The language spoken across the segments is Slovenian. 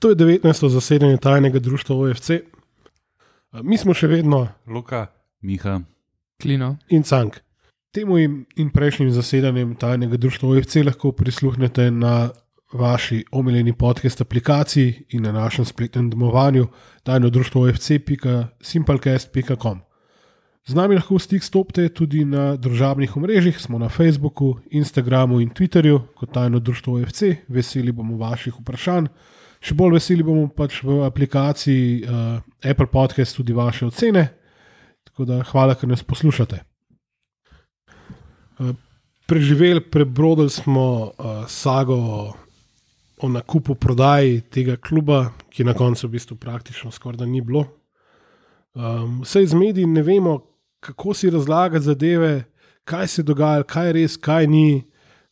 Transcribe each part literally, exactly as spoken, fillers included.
To je devetnajsto zasedanje tajnega društva O F C. Mi smo še vedno Luka, Miha, Klino in Cank. Temu in, in prejšnjim zasedanjem tajnega društva O F C lahko prisluhnete na vaši omiljeni podcast aplikaciji in na našem spletnem domovanju tajno društvo O F C pika simplecast pika com. Z nami lahko v stik stopite tudi na družabnih omrežjih, smo na Facebooku, Instagramu in Twitterju kot tajno društvo O F C. Veseli bomo vaših vprašanj. Še bolj veseli bomo pač v aplikaciji uh, Apple Podcast tudi vaše ocene. Tako da hvala, ker nas poslušate. Uh, preživeli, prebrodili smo uh, sago o nakupu prodaji tega kluba, ki na koncu v bistvu praktično skoraj da ni bilo. Um, vse iz medij ne vemo, kako si razlagati zadeve, kaj se dogaja, kaj je res, kaj ni.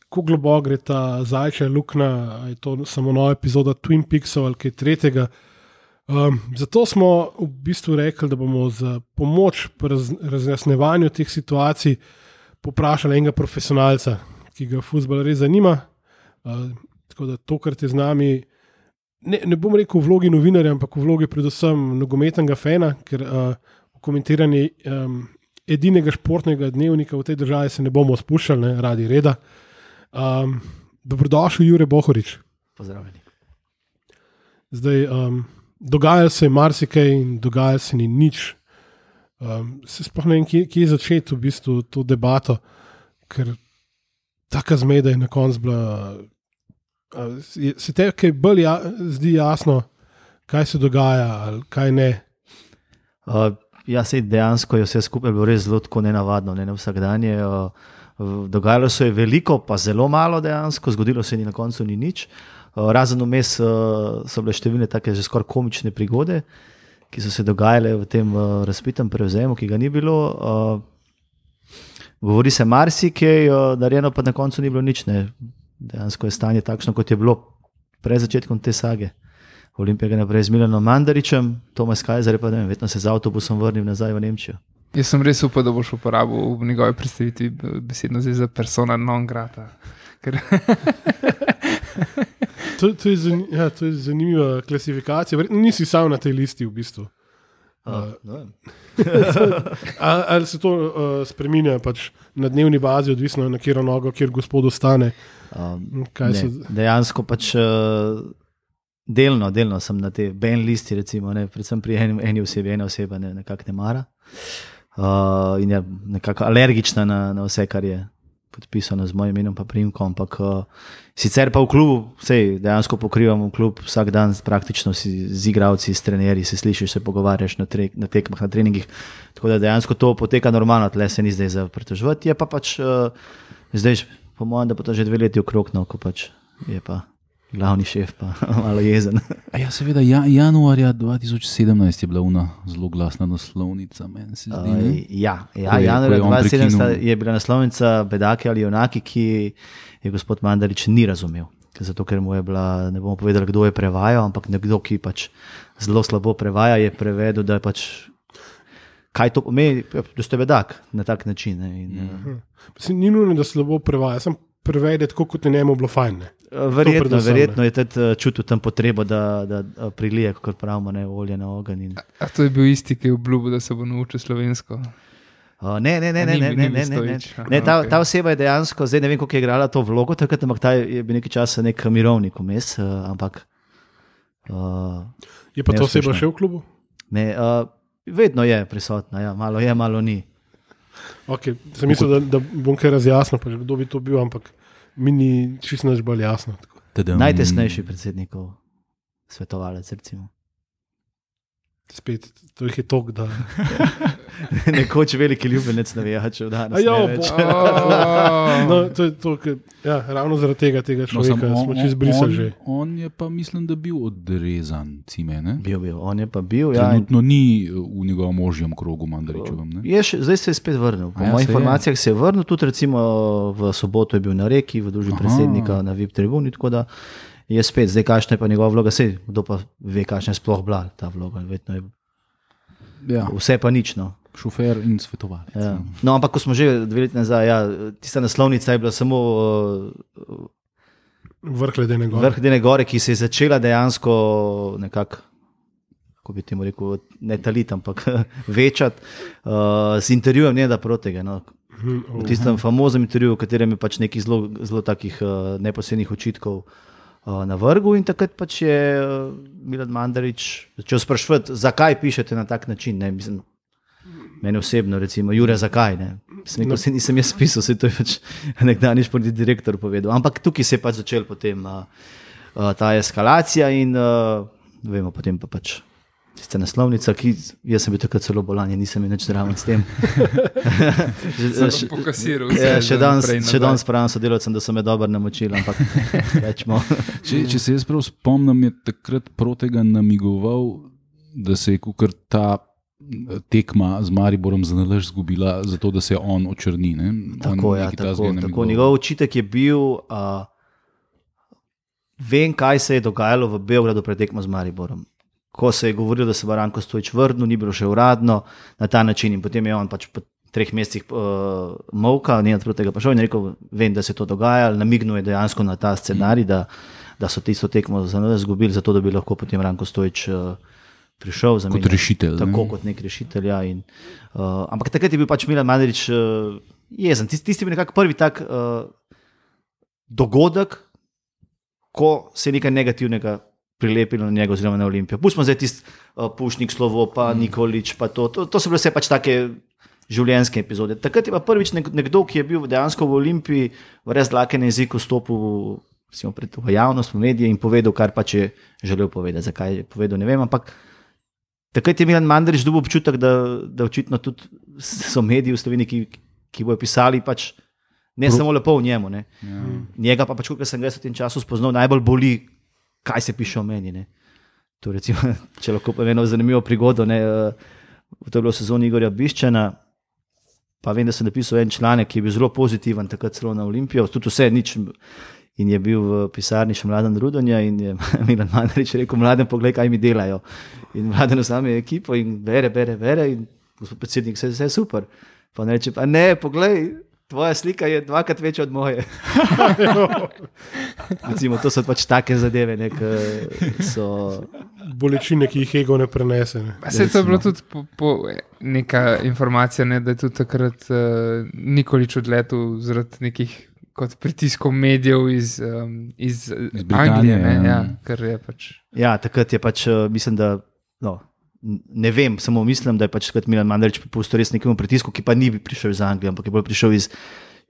Kako globoko gre ta zajčja luknja, je to samo nova epizoda Twin Peaksov ali kaj tretjega. Um, zato smo v bistvu rekli, da bomo za pomoč pri raz, razjasnevanju teh situacij poprašali enega profesionalca, ki ga fuzbal res zanima. Uh, tako da tokrat je z nami, ne, ne bom rekel v vlogi novinarja, ampak v vlogi predvsem nogometnega fana, ker uh, v komentiranje um, edinega športnega dnevnika v tej državi se ne bomo spuščali, ne, radi reda. Um, dobrodošel, Jure Bohorič. Pozdravljeni. Zdaj, um, dogajalo se je marsikaj in dogajalo se ni nič. Um, se sploh ne vem, kje, kje začeti v bistvu to debato, ker taka zmeda je na koncu bila. Uh, se te kaj bolj ja, zdi jasno, kaj se dogaja ali kaj ne? Uh, ja, sej dejansko je vse skupaj bilo res zelo tako nenavadno, ne, ne vsakdanje. Uh, Dogajalo se je veliko, pa zelo malo dejansko, zgodilo se ni na koncu ni nič. Razen vmes so bile številne take že skoraj komične prigode, ki so se dogajale v tem razpitem prevzemu, ki ga ni bilo. Govori se marsikaj, narejeno pa na koncu ni bilo nič. Ne. Dejansko je stanje takšno, kot je bilo pred začetkom te sage. Olimpija je naprej z Milanom Mandaričem, Tomas Kajzer pa ne vem, vedno se z avtobusom vrnil nazaj v Nemčijo. Jaz sem res upal, da boš uporabil v njegovi predstavitvi besedno zveza persona non grata. Ker... to, to, je zan, ja, to je zanimiva klasifikacija. Verjetno nisi sam na tej listi v bistvu. Uh, no. ali, ali se to uh, spreminja pač na dnevni bazi, odvisno na kjero nogo, kjer gospod ostane? Um, so... Dejansko pač uh, delno, delno sem na tej ben listi, recimo, ne, predvsem pri eni, eni osebi, ena oseba ne, nekako ne mara. Uh, in je nekako alergična na, na vse, kar je podpisano z mojim imenom pa priimkom, ampak uh, sicer pa v klubu, sej, dejansko pokrivam v klub vsak dan praktično si z igravci, s trenerji, se slišiš, se pogovarjaš na, tre, na tekmah, na treningih, tako da dejansko to poteka normalno, tle se ni zdaj za pritoževati, je pa pač uh, zdaj, po mojem, da pa to že dve leti okrog, no, ko pač je pa glavni šef pa malo jezen. A ja, seveda, ja, januarja dva tisoč sedemnajst je bila una zelo glasna naslovnica, meni se zdi. Uh, ja, ja januarja dva tisoč sedemnajst je bila naslovnica Bedaki ali junaki, ki je gospod Mandarič ni razumel. Zato, ker mu je bila, ne bomo povedali, kdo je prevajal, ampak nekdo, ki pač zelo slabo prevaja, je prevedel, da je pač kaj to pomeni, da ste bedak na tak način. Ne, in, mhm. Mislim, ni nujno, da slabo prevaja, sem prevede tako, kot je njemu bilo fajn. Ne. Verjetno, verjetno je tudi čutil tam potrebo, da, da prilije, kot pravimo, ne, olje na ogenj. In... A, a to je bil isti, ki je obljubil, da se bo naučil slovensko? Uh, ne, ne, ne, ne, ne, ne, ne, ne, ne. ne ta, ta oseba je dejansko, zdaj ne vem, koliko je igrala to vlogo, takrat, ampak ta je bil nekaj časa nek mirovnik vmes, uh, ampak... Uh, je pa to oseba še v klubu? Ne, uh, vedno je prisotna, ja, malo je, malo ni. Ok, sem mislil, da, da bom kaj razjasnil, pa kdo bi to bil, ampak mi ni čisto nič bolj jasno. Najtesnejši predsednikov svetovalec, recimo. Spet, to jih je tok, da... Nekoč veliki ljubljenec navijačev danes. Ja, no, to je to, ker, ja, ravno zaradi tega, tega človeka no, smo čez brisali že. On je pa, mislim, da bil odrezan, cime, ne? Bil, bil, on je pa bil, ja. Trenutno in... ni v njegovem možjem krogu Mandaričevem, ne? Je še, zdaj se je spet vrnil. Po ja, mojih informacijah je. se je vrnil, tudi recimo v soboto je bil na Reki, v družbi predsednika na V I P tribuni, tako da je spet, zdaj kakšna je pa njegova vloga, sej, kdo pa ve, kakšna je sploh bila ta vloga, vedno je ja. Vse pa nič, no. Šofer in svetovalec. Ja. No, ampak ko smo že dve leti nazaj, ja, tista naslovnica je bila samo uh, Vrh ledene gore. Vrh ledene gore, ki se je začela dejansko nekako, kako bi temu rekel, ne taliti, ampak večati uh, z intervjujem Nenada Protega. No. V tistem famoznem intervjuju, v katerem je pač nekih zelo, zelo takih uh, neposrednih očitkov uh, na vrhu, in takrat pač je uh, Milan Mandarić začel spraševati, zakaj pišete na tak način. Ne? Mislim, meni osebno, recimo, Jure, zakaj? Ne? Sem rekel, se nisem jaz pisal, se to je pač nekdanji športni direktor povedal. Ampak tukaj se je pač začel potem uh, uh, ta eskalacija in uh, vemo, potem pa pač tista naslovnica, ki jaz sem bil takrat celo bolan, nisem imel nič zraven s tem. Sem pokasiral vse. Ja, še danes, še danes pravim sodelavcem, da so me dobro namočili, ampak rečemo. Če, če se jaz prav spomnim, je takrat Protega namigoval, da se je kukar ta tekma z Mariborom za nalaž zgubila, zato da se on očrni. Ne? Tako, on ja, tako, tako. tako. Njegov očitek je bil, uh, vem, kaj se je dogajalo v Beogradu pred tekmo z Mariborom. Ko se je govorilo, da se bo Ranko Stojić vrnil, ni bilo še uradno na ta način, in potem je on pač po treh mesecih uh, molka, Nenad Protega pa šel in rekel, vem, da se je to dogajalo, namignil je dejansko na ta scenarij, da, da so tisto tekmo za nas zgubili, zato da bi lahko potem Ranko Stojić uh, prišel za kot rešitelj. Tako ne? kot nek rešitelj, ja. In, uh, ampak takrat je bil pač Milan Mandarić uh, jezen. Tisti, tisti je bil nekako prvi tak uh, dogodek, ko se je nekaj negativnega prilepilo na njega oziroma na Olimpijo. Pustimo zdaj tisti uh, Pušnik, Slovo, pa Nikolić, pa to, to, to so bile vse pač take življenjske epizode. Takrat je pa prvič nekdo, ki je bil dejansko v Olimpiji, v res dlake na jeziku stopil pred v javnost, v medije in povedal, kar pač je želel povedati. Zakaj je povedal, ne vem, ampak takrat je Milan Mandarić dobil občutek, da, da očitno tudi so mediji v Sloveniji, ki, ki bojo pisali pač ne Pro... samo lepo o njemu. Ne. Ja. Njega pa pač, kot sem ga v tem času spoznal, najbolj boli, kaj se piše o meni. Ne. To recimo, če lahko povem eno zanimivo prigodo, ne, to je bilo v sezoni Igorja Biščana, pa vem, da sem napisal en članek, ki je bil zelo pozitiven, takrat celo na Olimpijo, tudi vse nič, in je bil v pisarni še Mladen Rudonja in je Milan Mandarić rekel, Mladen, poglej, kaj mi delajo. In Mladen vzame ekipo in bere, bere, bere in gospod predsednik, vse, vse je super. Pa on reče, pa ne, poglej, tvoja slika je dvakrat večja od moje. Recimo, to so pač take zadeve, ne, ki so... Bolečine, ki jih ego ne prenese. Ne. Se je to bilo tudi po, po neka informacija, ne, da je tudi takrat uh, Nikolić odletel zaradi nekih kot pritiskov medijev iz, um, iz, iz Anglije. Ne, ja. Ja, kar je pač... ja, takrat je pač, uh, mislim, da... No, ne vem, samo mislim, da je pač Milan Mandarić popustil res nekemu pritisku, ki pa ni prišel iz Anglije, ampak je bolj prišel iz,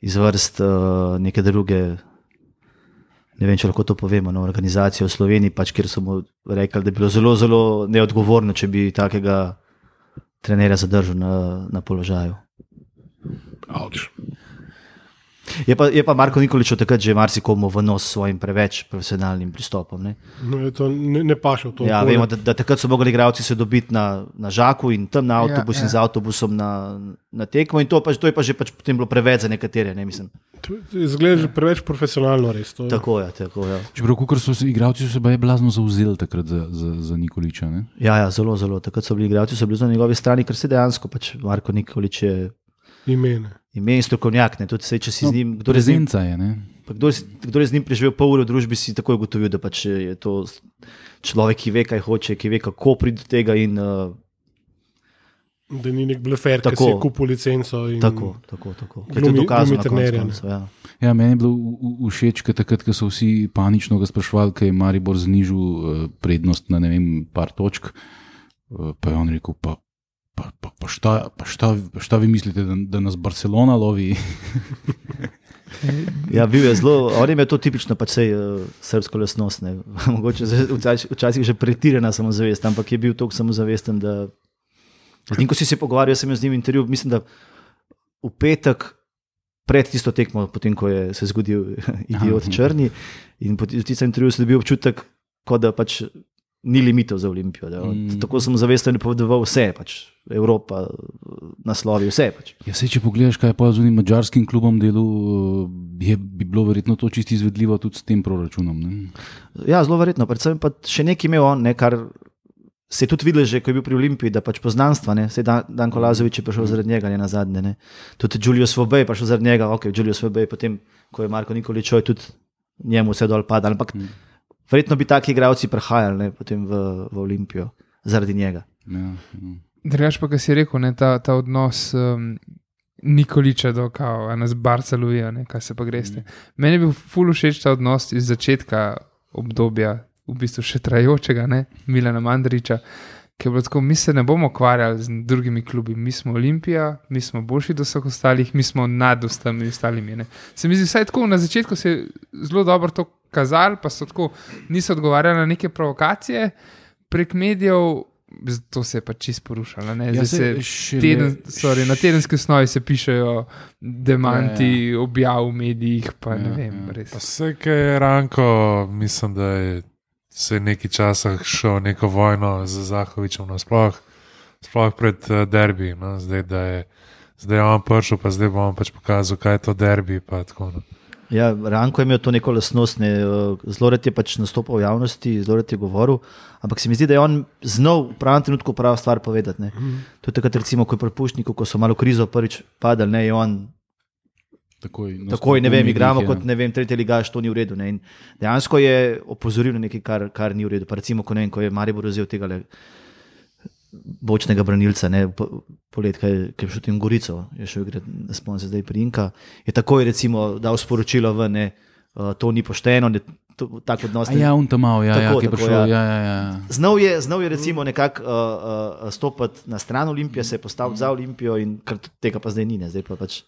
iz vrst uh, neke druge, ne vem, če lahko to povemo, no, organizacije v Sloveniji, pač, kjer so mu rekli, da je bilo zelo, zelo neodgovorno, če bi takega trenerja zadržal na, na položaju. Avč. Je pa, je pa Marko Nikolić takrat že marsikomu v nos s svojim preveč profesionalnim pristopom. Ne, no, to ne, ne paše v to. Ja, vemo, da, da takrat so mogli igralci se dobiti na, na Žaku in tam na avtobus ja, in ja. z avtobusom na, na tekmo in to, pač, to je pa že pač potem bilo preveč za nekatere. Ne, Izgleda že preveč profesionalno res. To, tako je, tako je. Čeprav, kukor so se igralci so se baje blazno zauzeli takrat za, za, za Nikolića. Ne? Ja, ja, zelo, zelo. Takrat so bili igralci, so bili na njegovi strani, ker se dejansko pač Marko Nikolić je imene. Ime in strokovnjak, ne, tudi se, če si no, z njim, kdo je z njim, je, ne? Kdo, kdo je z njim preživel pol ure v družbi, si takoj ugotovil, da pač je to človek, ki ve, kaj hoče, ki ve, kako pride do tega in uh, da ni nek blefer, ki si je kupil licenco in tako, tako, tako. Glumi, je to dokazano na koncu koncu, ja. Ja, meni je bilo všeč, ker takrat, ko so vsi panično ga sprašvali, ker je Maribor znižil uh, prednost na ne vem, par točk, uh, pa je on rekel, pa Pa, pa, pa, šta, pa šta, šta vi mislite, da, da nas Barcelona lovi? Ja, bil je zelo, on je to tipično pač sej uh, srbsko lastnost, ne. Mogoče včasih, včasih že pretirana samozavest, ampak je bil toliko samozavesten, da z njim, ko si se pogovarjal, sem z njim intervju, mislim, da v petek pred tisto tekmo, potem, ko je se zgodil idiot črni in po tistem intervju se dobil občutek, kot da pač ni limitov za Olimpijo. Mm. Tako sem zavesten povedal vse, pač Evropa, naslovi, vse. Pač. Ja, sej, če pogledaš, kaj je pa z unim mađarskim klubom delu, je, bi bilo verjetno to čisto izvedljivo tudi s tem proračunom. Ne? Ja, zelo verjetno. Predvsem pa še nekaj imel on, ne, kar se je tudi videl že, ko je bil pri Olimpiji, da pač poznanstva, ne. Sej Dan, Danko Lazović je prišel zaradi njega, ne na zadnje. Ne. Tudi Julio Svobej je prišel zaradi njega, ok, Julio Svobej, potem, ko je Marko Nikolić tudi njemu vse dol pada. Ampak mm. verjetno bi taki igralci prihajali ne, potem v, v Olimpijo zaradi njega. Ja, ja. Drugač pa, kar si rekel, ne, ta, ta odnos um, Nikoliča do kao, nas Barceluje, kaj se pa greste. Mm. Meni je bil ful všeč ta odnos iz začetka obdobja, v bistvu še trajočega, ne, Milana Mandariča, ki je bilo tako, mi se ne bomo ukvarjali z drugimi klubi, mi smo Olimpija, mi smo boljši do vseh ostalih, mi smo nad vsemi ostalimi. Ne. Se mi zdi, vsaj tako na začetku se je zelo dobro to kazali, pa so tako, niso odgovarjali na neke provokacije prek medijev, to se je pa čist porušalo. Ja, se teden, sorry, na tedenski osnovi se pišejo demanti, ja, ja. objav v medijih, pa ja, ne vem. Ja. Vse, kaj je Ranko, mislim, da je se je nekaj časa šel neko vojno z Zahovičem, no, sploh, sploh pred uh, derbi. No, zdaj, da je, zdaj je on prišel, pa zdaj bo on pač pokazal, kaj je to derbi. Pa, tako, no. Ja, Ranko je imel to neko lastnost, ne, zelo rad je pač nastopal v javnosti, zelo rad je govoril, ampak se mi zdi, da je on znal v pravem trenutku pravo stvar povedati. Ne. Mm. To je takrat, recimo, ko je pri Pušniku, ko so malo krizo prvič padali, ne, je on takoj, takoj ne vem, igramo kot, ne vem, tretji ligaš, to ni v redu. Ne. In dejansko je opozoril na nekaj, kar, kar ni v redu. Pa recimo, ko, ne vem, ko je Maribor vzel tega le bočnega branilca, ne, polet, kaj je šel tem Gorico, je šel igrati, ne spomnim se zdaj pri Inka, je takoj recimo dal sporočilo ven, ne, uh, to ni pošteno, ne, to, tak odnos. A ja, on tam mal, ja, tako, ja, ki je prišel, ja, ja, ja. Znal je, znal je recimo nekako uh, uh, stopati na stran Olimpije, se je postavil za Olimpijo in kar tega pa zdaj ni, ne, zdaj pa pač.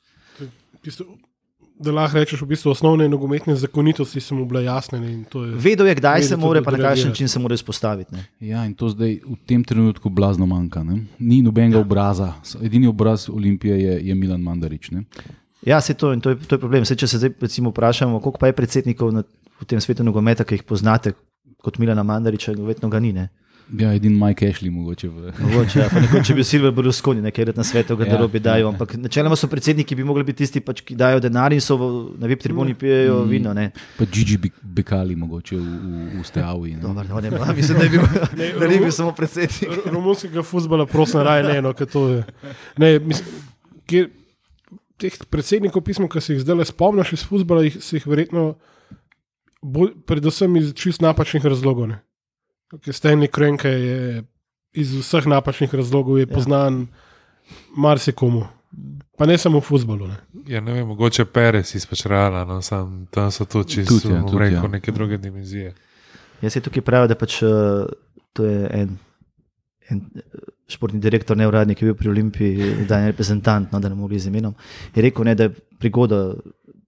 Da lahko rečeš, v bistvu osnovne nogometne zakonitosti so mu bile jasne. In to je, vedel je, kdaj se mora, pa na kakšen način se mora izpostaviti. Ne. Ja, in to zdaj v tem trenutku blazno manjka. Ne. Ni nobenega ja. obraza. Edini obraz Olimpije je, je Milan Mandarič. Ne. Ja, se to, in to je, to je problem. Se, če se zdaj recimo vprašamo, koliko pa je predsednikov na, v tem svetu nogometa, ki jih poznate kot Milana Mandariča, verjetno ga ni. Ne. Ja, edin Mike Ashley mogoče. V... mogoče, ja. Pa nekoč, če bi Silver Berlusconi nekaj na svetu, ga ja, dajo, ja. Ampak načeloma so predsedniki, bi mogli biti tisti, pač, ki dajo denar in so v, na V I P tribuni pijejo mm. vino. Ne. Pa Gigi Bekali mogoče v, v, v Steavi. Dobar, no, ne, ne, mislim, da je bil, ne, da ni bil samo predsednik. Romunskega futbola prosim raje ne, no, to je. Ne, mislim, kjer, teh predsednikov pismo, ki se jih zdaj spomniš iz futbola, se jih verjetno bolj, predvsem iz čist napačnih razlogov. Ne. Stanley Kroenke je iz vseh napačnih razlogov je poznan ja. marsikomu, pa ne samo v futbolu. Ne. Ja, ne vem, mogoče Perez izpač Reala, no, sam, tam so to čisto ja, ja. neke druge dimenzije. Jaz se tukaj pravim, da pač uh, to je en, en športni direktor, neuradnik, ki je bil pri Olimpiji, da je reprezentant, no, da ne mogli z imenom, je rekel, ne, da je prigoda,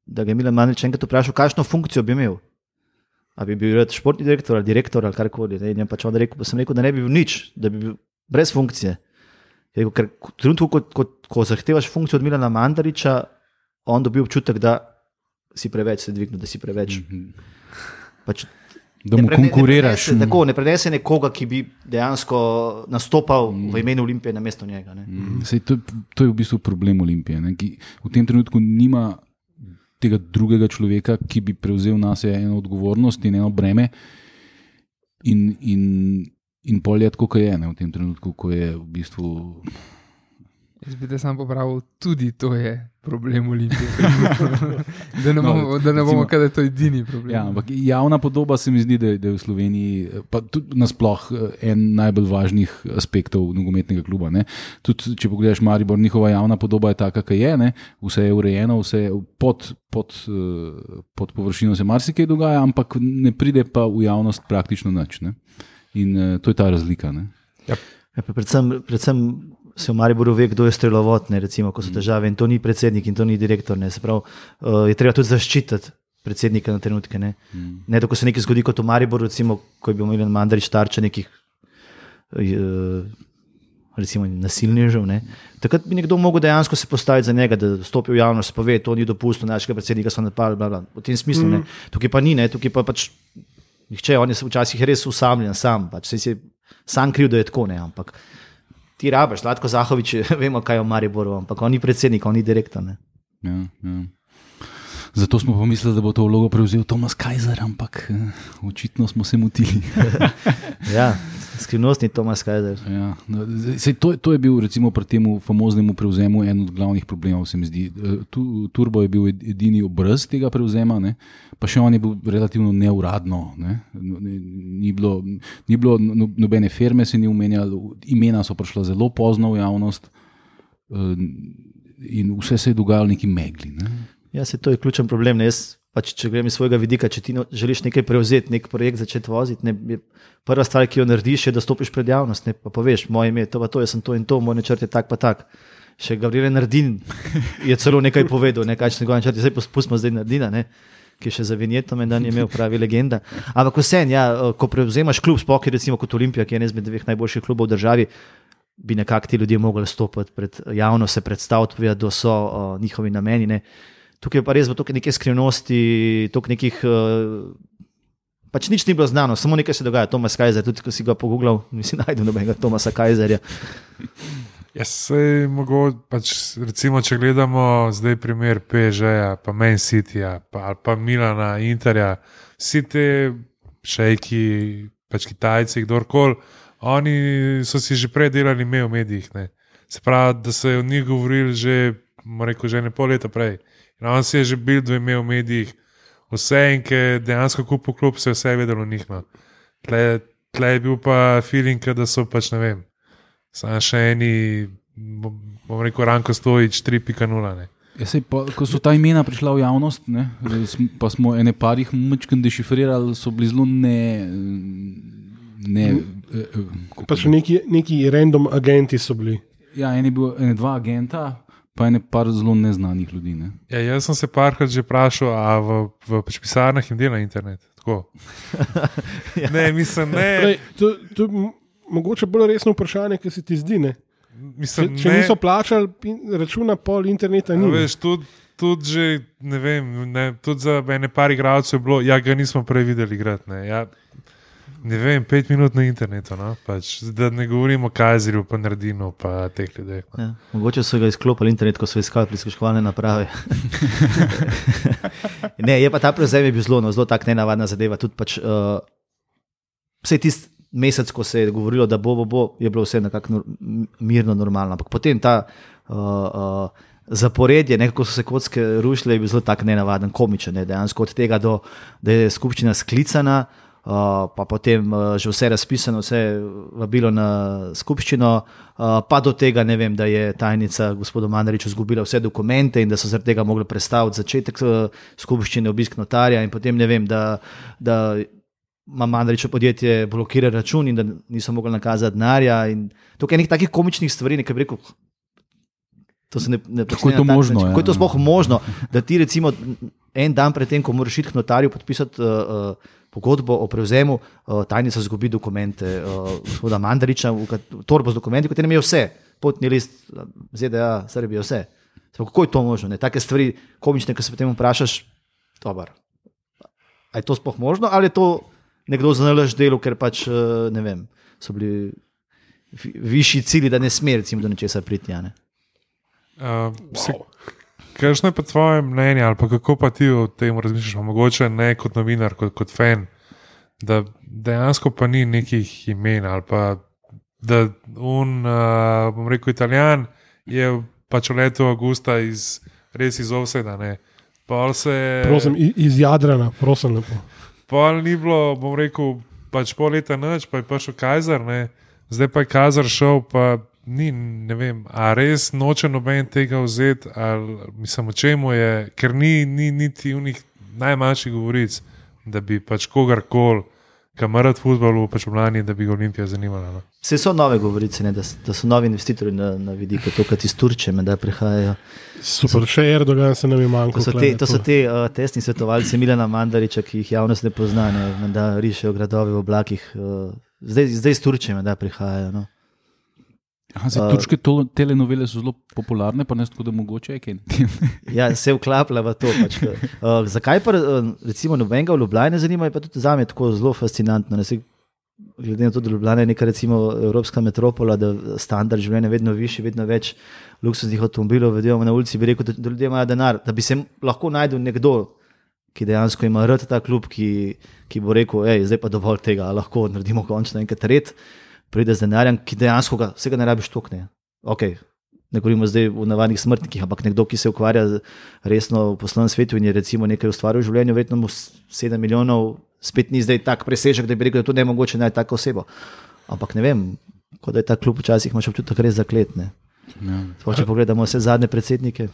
da ga je Milan Mandarič enkrat vprašal, kakšno funkcijo bi imel. A bi bil športni direktor ali direktor ali karkoli. In pač on rekel, pa sem rekel, da ne bi bil nič, da bi bil brez funkcije. Rekel, ker trenutku, ko, ko, ko zahtevaš funkcijo od Milana Mandariča, on dobi občutek, da si preveč se dvignil, da si preveč. Mm-hmm. Pač, da mu prene, konkuriraš. Ne prenese, tako, ne prenese nekoga, ki bi dejansko nastopal mm. v imenu Olimpije na mesto njega. Ne. Mm. Sej, to, to je v bistvu problem Olimpije, ne, ki v tem trenutku nima tega drugega človeka, ki bi prevzel na sebe eno odgovornost in eno breme in, in, in pol je tako, kot je ne, v tem trenutku, ko je v bistvu... Jaz bi te sam popravil, tudi to je problem Olimpije. da ne bomo, no, da ne bomo kada to edini problem. Ja, ampak javna podoba se mi zdi, da je, da je v Sloveniji pa tudi nasploh en najbolj važnih aspektov nogometnega kluba. Ne. Tudi, če pogledaš Maribor, njihova javna podoba je taka, kaj je, ne. Vse je urejeno, vse je pod, pod, pod površino se marsikaj dogaja, ampak ne pride pa v javnost praktično nič. Ne. In to je ta razlika. Ne. Ja. Ja, predvsem, predvsem se v Mariboru ve, kdo je strelovod, ne, recimo, ko so težave in to ni predsednik in to ni direktor. Ne, se pravi, uh, je treba tudi zaščititi predsednika na trenutke. Ne, mm. ne da ko se nekaj zgodi kot v Mariboru, recimo, ko je bil Milan Mandarič tarča nekih uh, recimo nasilnežev, ne, takrat bi nekdo mogel dejansko se postaviti za njega, da stopi v javnost, pove, to ni dopustno, našega predsednika so napadli, bla, bla, v tem smislu. Mm. Ne, tukaj pa ni, ne, tukaj pa pač nihče, on je včasih res usamljen sam, pač se je sam kriv, da je tako, ne, ampak ti rabaš, Zlatko Zahovič, vemo, kaj je v Mariboru, ampak on ni predsednik, on ni direktor. Ne? Ja, ja. Zato smo pomislili, da bo to vlogo prevzel Tomas Kajzer, ampak očitno smo se motili. Ja, Skrivnostni Tomas Kajzer. Ja, no, sej, to, to je bil recimo pri tem famoznemu prevzemu en od glavnih problemov, se mi zdi. Tu, Turbo je bil edini obraz tega prevzema, ne? Pa še on je bil relativno neuradno. Ne? Ni bilo, ni bilo nobene firme, se ni umenjalo, imena so prišla zelo pozno v javnost in vse se je dogajalo neki megli. Ne? Ja, se to je ključen problem. Ne? Jaz, pač, če grem iz svojega vidika, če ti no, želiš nekaj prevzeti, nek projekt začeti voziti, ne, je prva stvar, ki jo narediš, je, da stopiš pred javnost, ne, pa poveš, moje ime, to pa to, jaz sem to in to, moj načrt je tak pa tak. Še Gabriel Nardin je celo nekaj povedal, ne, kaj če njegov načrt je, zdaj pustimo zdaj Nardina, ne, ki je še za vinjetom en dan je imel pravi legenda. Ampak vsem, ja, ko prevzemaš klub, sploh recimo kot Olimpija, ki je eden izmed dveh najboljših klubov v državi, bi nekako ti ljudje mogli stopiti pred javnost, se predstaviti, povedati, da so uh, njihovi nameni, ne. Tukaj je pa res toliko neke skrivnosti, toliko nekih, pač nič ni bilo znano, samo nekaj se dogaja. Tomas Kajzer, tudi ko si ga pogooglal, nisi najdel nobenega Tomasa Kajzerja. Ja, sej mogoče, pač, recimo, če gledamo zdaj primer P S G-ja, pa Man Cityja, pa, ali pa Milana, Interja, vsi te šejki, pač Kitajci, kdorkoli, oni so si že prej delali ime v medijih. Ne. Se pravi, da so o njih govorili že, rekel, že ne pol leta prej. In on si je že bil dve ime v medijih, vse in ki je dejansko kupil klub, se je vse vedelo o njih. No. Tle, tle je bil pa feeling, da so pač, ne vem, samo še eni, bom rekel, Ranko Stojič tri pika nula. Ja, sej, pa, ko so ta imena prišla v javnost, ne, pa smo ene parih mačken dešifrirali, so bili zelo ne... ne pa še neki, neki random agenti so bili. Ja, ene, bil, ene dva agenta, pa je par zelo neznanih ljudi. Ne? Ja, jaz sem se parkrat že vprašal, a v, v pisarnah jim dela internet. Tako. Ja. Ne, mislim, ne. Prej, to, to je mogoče bolj resno vprašanje, ki se ti zdi. Ne? Mislim, če če ne. niso plačali računa, pol interneta ni. Veš, tudi, tudi že, ne vem, ne, tudi za ene par igralcev je bilo, ja, ga nismo prej videli igrati. Ne. Ja, ne vem, pet minut na internetu, no? Pač, da ne govorimo o Kajzerju, pa Nardinu, pa teh ljudeh. No? Ja, mogoče so ga izklopili internet, ko so iskali prisluškovalne naprave. Ne, je pa ta prevzem je bil zelo, no, zelo tak nenavadna zadeva. Tudi pač, uh, vse tisti mesec, ko se je govorilo, da bo, bo, bo, je bilo vse nekako nor, mirno, normalno. Ampak potem ta uh, uh, zaporedje, nekako so se kocke rušile, je bil zelo tak nenavaden, komičen. Ne? Dejansko od tega do, da je skupščina sklicana, Uh, pa potem uh, že vse razpisano, vse vabilo na skupščino, uh, pa do tega, ne vem, da je tajnica gospodu Mandariču izgubila vse dokumente in da so zaradi tega mogli prestaviti začetek uh, skupščine, obisk notarja in potem, ne vem, da, da ima Mandariču podjetje blokira račun in da niso mogli nakazati denarja in tukaj nekaj takih komičnih stvari, nekaj bi rekel, to se ne, ne kako je to možno, način, kako je to sploh možno, da ti recimo en dan pred tem, ko moraš iti k notarju podpisati uh, uh, pogodbo o prevzemu, uh, tajnica zgubi dokumente uh, gospoda Mandariča, v, v torbo z dokumenti, v katerem je vse, potni list, Z D A, Srbija, vse. Zdaj, kako je to možno? Ne? Take stvari komične, ko se potem vprašaš, dobar, a je to sploh možno, ali je to nekdo zanalaš delu, ker pač, uh, ne vem, so bili višji cilji, da ne sme recimo do nečesa priti, ja, ne? Uh, wow. Kakšno je pa tvoje mnenje, ali pa kako pa ti o tem razmišljaš, mogoče ne kot novinar, kot, kot fan, da dejansko pa ni nekih imen, ali pa da un, uh, bom rekel, Italijan je pač v letu avgusta iz, res iz Ovseda, ne. Pol se... Prosim, iz Jadrana, prosim lepo. Pol ni bilo, bom rekel, pač pol leta nič, pa je prišel Kajzer, ne. Zdaj pa je Kajzer šel, pa ni, ne vem, a res noče noben tega vzeti, ali mislim, o čemu je, ker ni, ni niti v njih najmanjših govoric, da bi pač kogarkoli, kamerat futbolu, pač v Mlani, da bi ga Olimpija zanimala. No. Vse so nove govorice, ne, da, da so novi investitorji na, na vidiku, to, kad iz Turčije, da prihajajo. Super, še Erdogan se nam je manjko. To so te, to so te uh, testni svetovalci Milana Mandariča, ki jih javnost ne pozna, ne, da rišejo gradove v oblakih. Uh, zdaj, zdaj iz Turčije, da prihajajo. No. Aha, zdaj, turške to, telenovele so zelo popularne, pa ne tako, da mogoče je kaj. Ja, se vklapla v to. Pač. Uh, zakaj pa recimo nobenega v Ljubljani zanima, je pa tudi zame tako zelo fascinantno. Ne, se, glede na to, da Ljubljana je neka recimo evropska metropola, da standard življenja je vedno višji, vedno več luksuznih avtomobilov, vedemo na ulici, bi rekel, da, da ljudje imajo denar, da bi se lahko najdel nekdo, ki dejansko ima rad ta klub, ki, ki bo rekel, ej, zdaj pa dovolj tega, lahko naredimo končno enkrat red. pride z denarjem, ki dejansko ga, vsega ne rabiš tokne. Okay. Ne govorimo zdaj o navadnih smrtnikih, ampak nekdo, ki se ukvarja resno v poslovnem svetu in je recimo nekaj ustvaril v življenju, verjetno mu sedem milijonov spet ni zdaj tak presežek, da bi rekel, da to ne je mogoče najti tako osebo. Ampak ne vem, kot da je ta klub včasih imaš občutek res zakletne. Ja. Če pogledamo vse zadnje predsednike.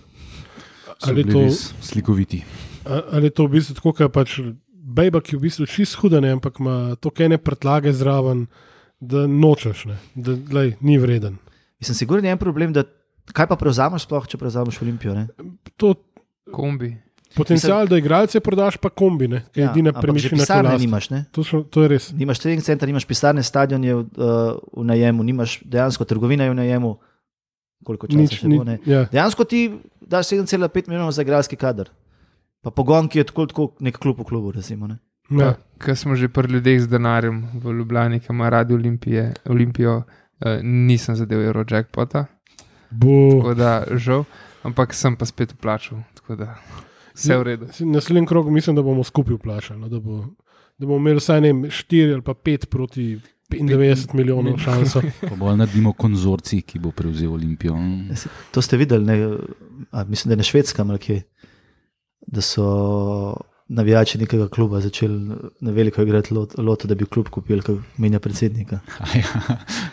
Ali je to slikoviti? Ali je to v bistvu tako, kot pač bejba, ki v bistvu čist huda, ne, ampak ima toliko ene predlage zraven, da nočeš, ne, da lej, ni vreden. Mislim, sigurno je en problem, da kaj pa prevzameš sploh, če prevzameš Olimpijo? Ne? To kombi. Potencial, Mislim, da igralce prodaš, pa kombi, ne? Kaj je ja, edina premišljena pisarne nimaš, ne? To, šo, to je res. Nimaš trening center, nimaš pisarne, stadion je v, uh, v najemu, nimaš dejansko trgovina je v najemu. Koliko časa Nič, še bo, ne? Ja. Dejansko ti daš sedem cela pet milijonov za igralski kader. Pa pogon, ki je tako, tako nek klub v klubu, recimo, ne? Ja. Ker smo že pri ljudeh z denarjem v Ljubljani, ki ima radi Olimpije, Olimpijo, uh, nisem zadev Eurojackpota. Tako da, žal, ampak sem pa spet vplačal, tako da vse v redu. Naslednji krog mislim, da bomo skupaj vplačali, no, da, bo, da bomo imeli vsaj ne štiri ali pa pet proti petindevetdeset milijonov šanso. Pa bolj naredimo konzorcij, ki bo prevzel Olimpijo. To ste videli, ne, a, mislim, da je na Švedskem, da so navijači nekega kluba začeli na veliko igrati lot, loto, da bi klub kupili, ko menja predsednika. Ja,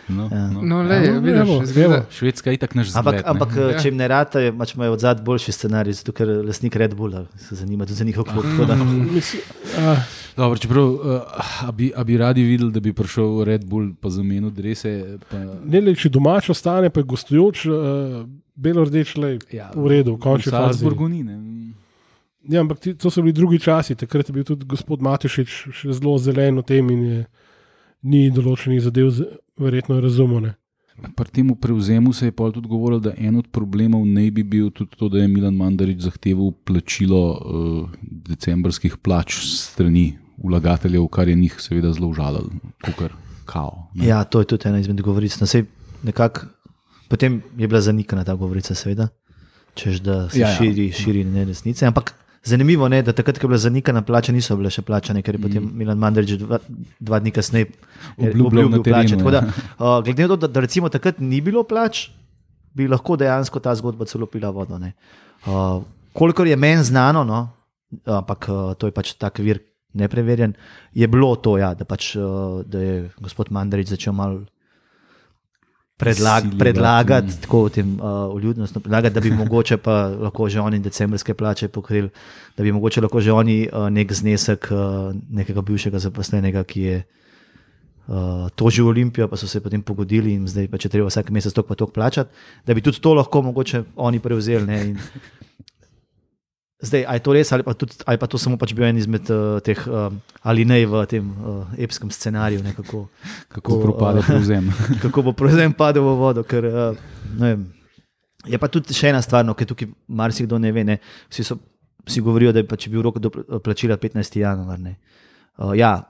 no, ja. no. no le, ja, vidiš, zgleda. Švedska je itak naš zgled. Ampak, ampak ne? če jim ne rata, imaš imajo od zad boljši scenarij, zato ker lastnik Red Bulla se zanima tudi za njihov klub. Dobro, čeprav, uh, a, bi, a bi radi videli, da bi prišel Red Bull pa zamenil drese? Pa... Ne, le, če domač ostane, pa je gostujoč, uh, belo-rdeč, le, ja, v redu, v končni fazi. V Salzburgu ni, ne? Ja, ampak ti, to so bili drugi časi, takrat je bil tudi gospod Matešič še zelo zelen v tem in je, ni določenih zadev verjetno razumel. Pri tem prevzemu se je pol tudi govorilo, da en od problemov ne bi bil tudi to, da je Milan Mandarić zahteval plačilo uh, decembrskih plač strani vlagateljev, kar je njih seveda zelo užalilo, kukar kao. Ne? Ja, to je tudi ena izmed govoric. No, sej, nekak, potem je bila zanikana ta govorica, seveda, češ da se ja, širi, ja. širi neresnice, ampak zanimivo je, da takrat, ko je bila zanikana plača, niso bile še plačane, ker je potem mm. Milan Mandarić dva, dva dni kasneje obljubil plače. Tako da, uh, glede na to, da, da recimo takrat ni bilo plač, bi lahko dejansko ta zgodba celo pila vodo. Uh, kolikor je meni znano, no, ampak uh, to je pač tak vir nepreverjen, je bilo to, ja, da, pač, uh, da je gospod Mandarić začel malo Predlag, predlagati, mm. tako v tem uh, vljudnostno predlagati, da bi mogoče pa lahko že oni decembrske plače pokrili, da bi mogoče lahko že oni uh, nek znesek uh, nekega bivšega zaposlenega, ki je uh, tožil Olimpijo, pa so se potem pogodili in zdaj pa če treba vsak mesec tok pa tok plačati, da bi tudi to lahko mogoče oni prevzeli. Ne, in zdaj, a je to res ali pa, tudi, ali pa to samo pač bil en izmed uh, teh uh, alinej v tem uh, epskem scenariju, ne, kako, kako propade uh, prevzem. Kako bo prevzem padel v vodo, ker uh, ne vem. Je pa tudi še ena stvar, no, ker tukaj marsikdo ne ve, ne, vsi, so, vsi govorijo, da je pač bil rok do plačila petnajstega januarja. Uh, ja,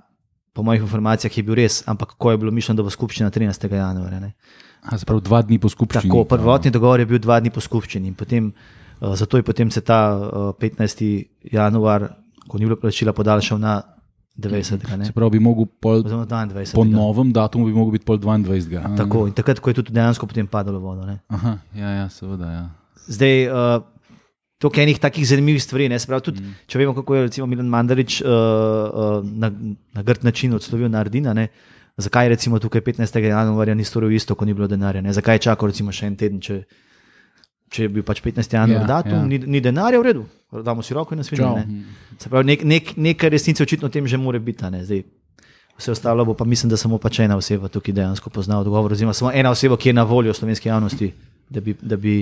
po mojih informacijah je bil res, ampak ko je bilo mišljeno, da bo skupščina trinajstega januarja. Ne. A, zaprav dva dni po skupščini. Tako, prvotni dogovor je bil dva dni po skupščini in potem Uh, zato je potem se ta uh, petnajstega januar, ko ni bilo plačila, podaljšal na dvajsetega. Se pravi, bi mogel pol, po novem datumu bi mogel biti pol dvaindvajsetega. Tako, in takrat, ko je tudi dejansko potem padalo vodo. Ne? Aha, ja, ja, seveda, ja. Zdaj, uh, to je enih takih zanimivih stvari, ne? Se pravi, tudi, mm. če vemo, kako je recimo Milan Mandarić uh, uh, na, na grd način odslovil Nardina, ne? Zakaj recimo tukaj petnajstega januarja ni storil isto, ko ni bilo denarja, ne? Zakaj je čakal recimo še en teden, če če je bil pač petnajstega januarja ja, datum, ja. Ni, ni denarja, v redu, damo si roko in nasviđamo. Ne? Se pravi, nek, nek, nekaj resnice očitno o tem že more biti. Ne? Zdaj, vse ostalo bo pa mislim, da samo pač ena oseba tukaj dejansko pozna odgovor, oziroma samo ena oseba, ki je na voljo slovenski javnosti, da bi, da bi,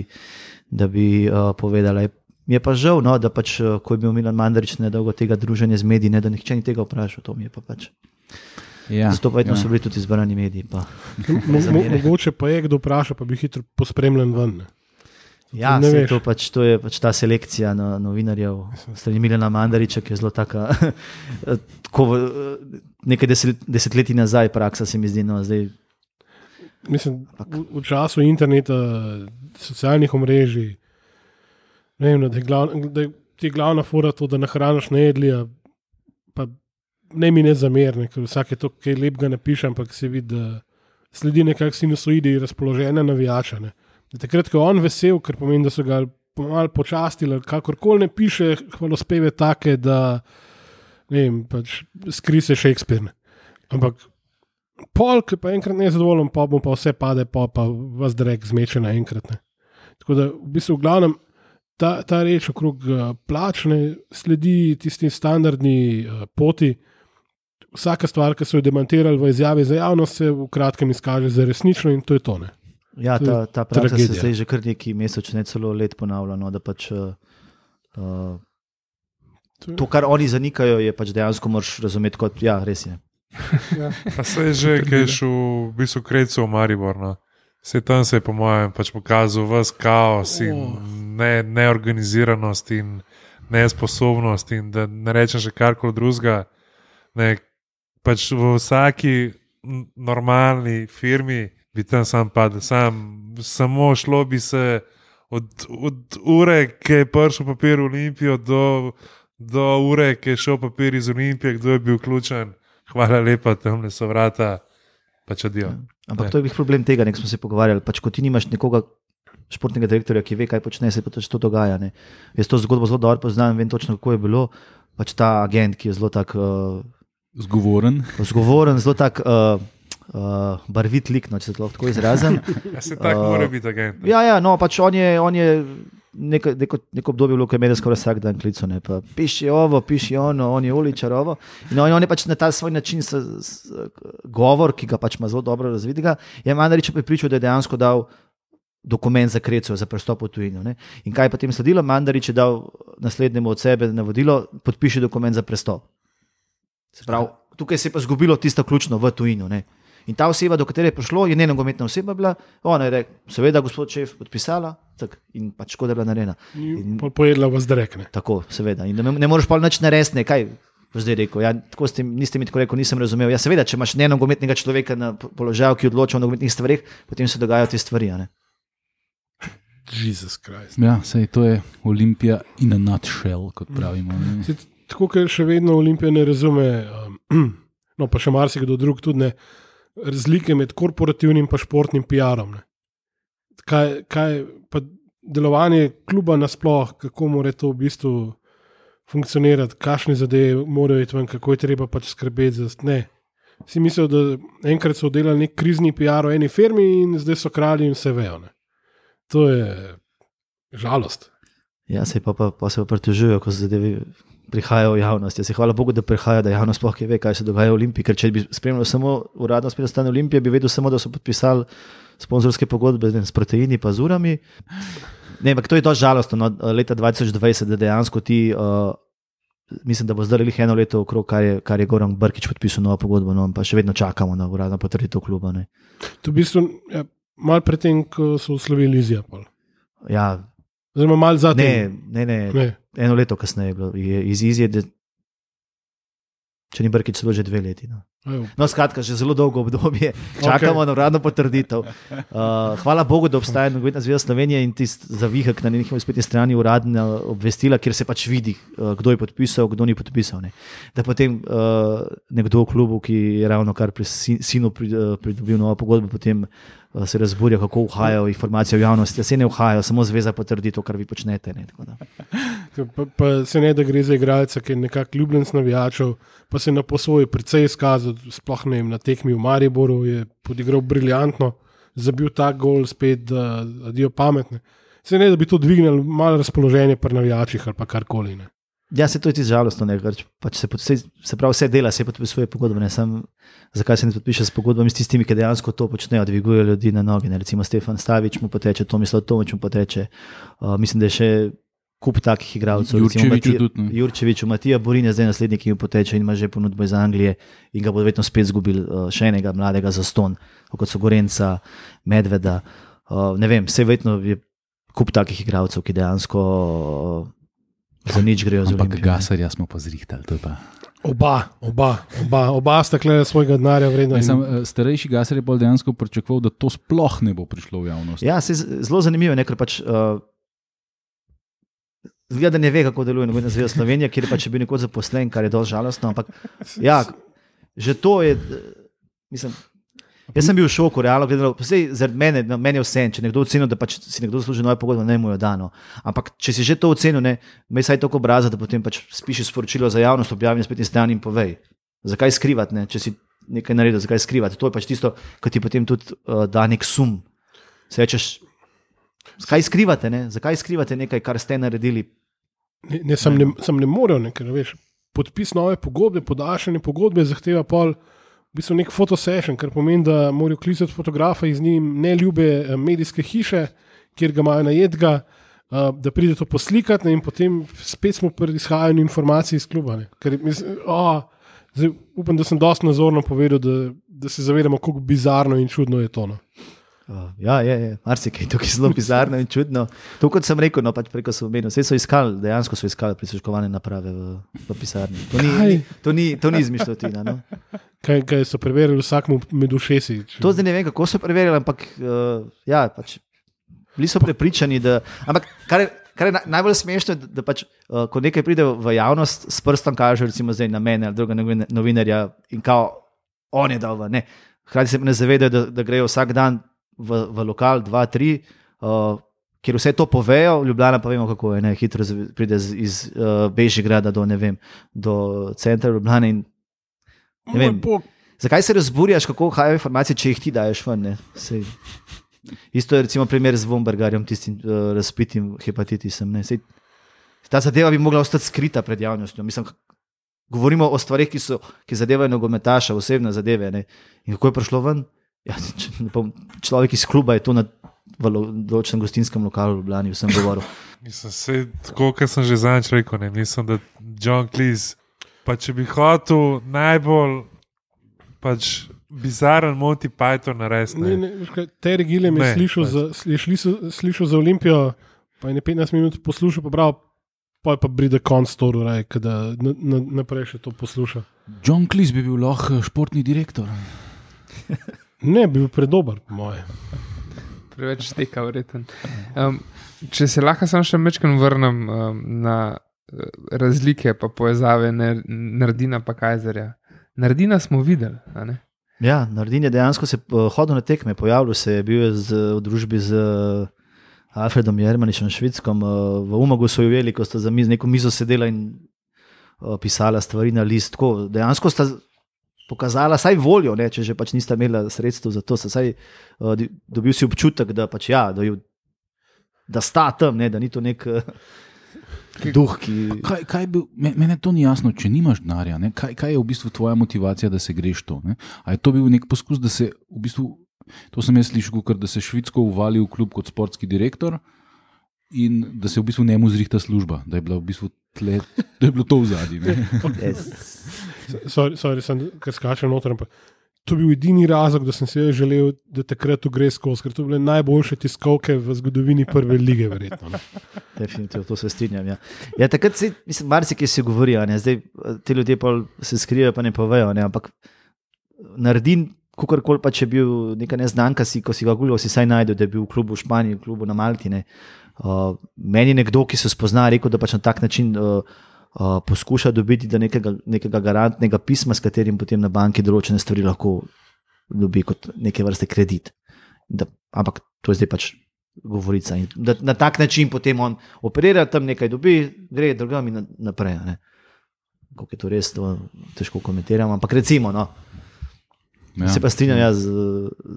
da bi uh, povedala. Mi je pa žal, no, da pač, uh, ko je bil Milan Mandarić nedolgo tega druženja z mediji, ne, da nihče ni tega vprašal, to mi je pa pač. Ja, zato pa vedno ja. so bili tudi izbrani mediji. Pa, mo, mo, mogoče pa je kdo vpraša, pa bi hitro pospremljen ven. Ne? Ja, se, to, pač, to je pač ta selekcija no, novinarjev strani Milana Mandarića, ki je zelo taka, tako nekaj deset, desetletij nazaj praksa se mi zdi. No, zdaj, mislim, v, v času interneta, socialnih omrežij, ne vem, da je, glav, da je glavna fora to, da nahraniš nejedlija, pa ne mi ne zamerne, ker vsake to, kaj lepega napišem, ampak se vidi, da sledi nekak sinusoidi razpoloženja navijača. Ne. Takrat, ko je on vesel, ker pomeni, da so ga malo počastili, kakorkoli ne piše hvalospeve take, da ne vem, pač skrise Shakespeare. Ampak pol, ki pa enkrat ne je zadovoljen, pa mu pa vse pade, pa, pa vas drek zmeče naenkrat. Ne. Tako da v bistvu v glavnem ta, ta reč okrog uh, plačne sledi tisti standardni uh, poti. Vsaka stvar, ki so jo demantirali v izjavi za javnost, se v kratkem izkaže za resnično in to je to. Ne. Ja, ta, ta praksa se zdaj že kar neki mesec, ne celo let ponavlja, no, da pač uh, uh, to, kar oni zanikajo, je pač dejansko moraš razumeti kot, ja, res je. Ja. Pa se je že, ki je šel v bistvu Krejcu v Maribor, no. Se tam se je po mojem pač pokazal ves kaos in oh. ne, neorganiziranost in nesposobnost in da ne rečem še karkoli drugega. Ne, pač v vsaki normalni firmi bi tam sam padel, sam, samo šlo bi se od, od ure, ki je prišel papir v Olimpijo, do, do ure, ki je šel papir iz Olimpije, kdo je bil vključen. Hvala lepa, tamle so vrata, pač adijo. Ja, ampak ne. To je bil problem tega, nek smo se pogovarjali. Pač, ko ti nimaš nekoga športnega direktorja, ki ve, kaj počne, se pa to dogaja. Ne. Jaz to zgodbo zelo dobro poznam, vem točno, kako je bilo. Pač ta agent, ki je zelo tak uh, zgovoren. Zgovoren, zelo tak uh, uh, barvit lik, no, če se to lahko izrazim. Ja, se tako uh, mora biti agent. Ja, ja, no, pač on je, on je neko, neko, neko obdobje bilo, ko je medij skoraj vsak dan klical, ne, pa piši ovo, piši ono, on je uličar ovo. In on, on je pač na ta svoj način s, s, govor, ki ga pač ima zelo dobro razvidega, je Mandarić pripričal, da je dejansko dal dokument za Kreco, za prestop v tujino. Ne. In kaj je potem sledilo? Mandarić je dal naslednjemu od sebe navodilo, podpiši dokument za prestop. Se pravi, tukaj se je pa zgubilo tisto ključno v tujino. Ne. In ta oseba, do katere je prišlo, je nenogometna oseba bila, ona je rekla, seveda, gospod šef, podpisala tak, in pač škoda je bila narejena. In pojedla vas drekne. Tako, seveda. In ne, ne moreš pa nič narediti, kaj boš zdaj rekel. Ja, tako ste, niste mi tako rekel, nisem razumel. Ja, seveda, če imaš nenogometnega človeka na položaju, ki odloča o nogometnih stvarih, potem se dogajajo te stvari. Ne? Jezus Krist. Ja, sej to je Olimpija in a nutshell, kot pravimo. Sej, tako, ker še vedno Olimpija ne razume, um, no pa še marsikdo drug tudi ne, razlike med korporativnim pa športnim P R-om. Kaj, kaj pa delovanje kluba nasploh, kako mora to v bistvu funkcionirati, kakšne zadeve morajo iti ven, kako je treba pač skrbeti za ne. Vsi mislijo, da enkrat so delali nek krizni P R v eni firmi in zdaj so kralji in vse vejo. Ne. To je žalost. Ja, se pa, pa, pa se pa pritožujejo, ko zadeve prihajajo v javnost. Jaz se hvala Bogu, da prihaja, da javnost sploh ve, kaj se dogaja v Olimpiji, ker če bi spremljal samo uradno spet stanje Olimpije, bi vedel samo, da so podpisali sponzorske pogodbe s proteini pa z urami. Ne, ampak to je dosti žalostno, no, leta dva tisoč dvajset, da dejansko ti, uh, mislim, da bo zdaj lih eno leto okrog, kar je, kar je Goran Brkić podpisal novo pogodbo, no, pa še vedno čakamo na uradno potrditev kluba. Ne. To v bistvu, ja, malo predtem, ko so oslovili Izija. Ja, oziroma malo zatem. Ne, ne, ne, ne. Eno leto kasneje je bilo. Je, iz Izije, de, če ni Brkić, celo že dve leti. No, no skratka, že zelo dolgo obdobje. Čakamo okay. na uradno potrditev. Uh, hvala Bogu, da obstaja Nogometna zveza Slovenije in tisti zavihek na njihovi spletni strani uradna obvestila, kjer se pač vidi, uh, kdo je podpisal, kdo ni podpisal. Ne. Da potem uh, nekdo v klubu, ki je ravno kar pri sinu pridobil novo pogodbo, potem se razburja, kako uhajajo informacije v javnosti. Se ne uhajajo, samo zveza potrdi to, kar vi počnete. Ne, pa, pa se ne, da gre za igralca, ki je nekako ljubljenc navijačev, pa se na posvoji precej izkazal, sploh ne vem, na tekmi v Mariboru je podigral briljantno, zabil tak gol spet, da adijo pametne. Se ne, da bi to dvignil malo razpoloženje pri navijačih ali pa karkoli. Ne. Ja, se to je ti žalostno, ne, pač se, se, se pravi vse dela, se podpisuje pogodbe, ne, sam, zakaj se ne podpiše s pogodbami s tistimi, ki dejansko to počnejo, dvigujejo ljudi na noge, ne, recimo Stefan Stavič mu poteče, Tomislav Tomič mu poteče, uh, mislim, da je še kup takih igralcev, Jurčevič, Matija Borin je zdaj naslednji, ki mu poteče in ima že ponudbo iz Anglije in ga bo vedno spet zgubil uh, še enega mladega zaston, kot so Gorenca, Medveda, uh, ne vem, vse vedno je kup takih igralcev, ki dejansko uh, za nič grejo z Olimpijo. Ampak Gasarja smo pa zrihtali, to je pa... Oba, oba, oba, oba sta kle svojega denarja vredna. In... Starejši Gasar je bolj dejansko pričakoval, da to sploh ne bo prišlo v javnost. Ja, se zelo zanimivo, ne, ker pač uh, zgleda, da ne ve, kako deluje Nogometna zveza Slovenije, kjer je pač bil nekoč zaposlen, kar je dosti žalostno, ampak ja, že to je, mislim, Jaz sem bil v šoku, realno gledano. Zaradi mene, meni je vse, če nekdo oceni, da pač si nekdo zasluži nove pogodbe, ne mu jo dano. Ampak če si že to ocenil, ne, me saj tako obraza, da potem pač spiši sporočilo za javnost, objavi na spletni strani in povej. Zakaj skrivati, ne? Če si nekaj naredil, zakaj skrivati? To je pač tisto, kar ti potem tudi uh, da nek sum. Se rečeš, zakaj skrivate, ne? Zakaj skrivate nekaj, kar ste naredili? Ne, ne, sem, ne, sem ne moral, ne, ker veš, podpis nove pogodbe, podaljšanje pogodbe zahteva pol v bistvu nek fotosession, kar pomeni, da morajo klicati fotografa iz njim neljube medijske hiše, kjer ga imajo najetega, da pride to poslikati in potem spet smo pri izhajanju informacij iz kluba. Ker, mislim, oh, zdaj, upam, da sem dosti nazorno povedal, da, da se zavedamo, kako bizarno in čudno je to. No. Uh, ja, je, je. Marsikaj tukaj zelo bizarno in čudno. To, kot sem rekel, no, pač preko so omenil, vse so iskali, dejansko so iskali prisluškovane naprave v, v pisarni. To ni, to ni, to ni izmišljotina. No. Kaj, kaj so preverili vsakmu med ušesi? Če... To zdaj ne vem, kako so preverili, ampak uh, ja, pač bili so prepričani, da... Ampak kar je, kar je najbolj smešno, da, da pač, uh, ko nekaj pride v javnost, s prstom kaže recimo zdaj na mene ali druga novinarja in kao, on je dal v, ne. Hkrati se ne zavedajo, da, da grejo vsak dan V, v lokal dva, tri, uh, kjer vse to povejo, Ljubljana pa vemo, kako je, ne, hitro pride z, iz uh, Bežigrada do, ne vem, do centra Ljubljane in ne vem, zakaj se razburjaš, kako hajajo informacije, če jih ti daješ ven, ne, sej. Isto je recimo primer z Vombergarjem, tistim uh, razpitim hepatitisom, ne, sej, ta zadeva bi mogla ostati skrita pred javnostjo, mislim, govorimo o stvarih, ki so, ki zadevajo nogometaša, osebne zadeve, ne, in kako je prišlo ven? Ja, človek iz kluba je to na določenem gostinskem lokalu v Ljubljani, vsem govoril. Mislim, se, tako, kot sem že zadnjič rekel, ne, mislim, da John Cleese, pa če bi hotel najbolj pač bizaren Monty Python narediti. Terry Gilliam je slišal, pač. za, je slišal, slišal za Olimpijo, pa je ne petnajst minut poslušal, pa bral, pa je pa bride konc toru, da na, na, naprej še to posluša. John Cleese bi bil lahko športni direktor. Ne, bil predober, moje. Preveč steka, vreten. Um, če se lahko samo še mečkam vrnem um, na razlike pa povezave Nardina pa Kajzerja. Nardina smo videli, a ne? Ja, Nardin je dejansko se hodil na tekme, pojavil se je, bil je z, v družbi z Alfredom Jermaničem Švidskom, v Umagu so jo veli, ko sta za miz, neko mizo sedela in uh, pisala stvari na list. Tako, dejansko sta pokazala saj voljo, ne, če že pač nista imela sredstev za to, saj uh, dobil si občutek, da pač ja, da, ju, da sta tam, ne, da ni to nek uh, duh, ki... Kaj, kaj bil, mene to ni jasno, če nimaš denarja, ne, kaj, kaj je v bistvu tvoja motivacija, da se greš to, ne? A je to bil nek poskus, da se v bistvu, to sem jaz slišal, da se Švidsko uvali v klub kot sportski direktor in da se v bistvu njemu zrihta služba, da je bila v bistvu tle, da je bilo to v zadnji, ne? Yes. Sorry, sorry, sem, ker skačem noter, ampak to bil edini razlog, da sem si želel, da takrat to gre skozi, ker to bile najboljše tiskovke v zgodovini prve lige, verjetno. Ne? Definitivno, to se strinjam, ja. Ja, takrat si, mislim, marsikaj si govorijo, ne, zdaj ti ljudje pa se skrivajo, pa ne povejo, ne, ampak Nardin, kakorkoli pa če bil neka neznanka, si, ko si ga gulil, si saj najdel, da je bil v klubu v Španiji, v klubu na Malti, ne. Uh, meni nekdo, ki se spozna, rekel, da pač na tak način uh, uh, poskuša dobiti do nekega, nekega garantnega pisma, s katerim potem na banki določene stvari lahko dobi kot neke vrste kredit. Da, ampak to je zdaj pač govorica. In da na tak način potem on operira, tam nekaj dobi, gre drugam in naprej. Ne. Kako je to res, to težko komentiram, ampak recimo, no. Ja. Se pa strinjam jaz,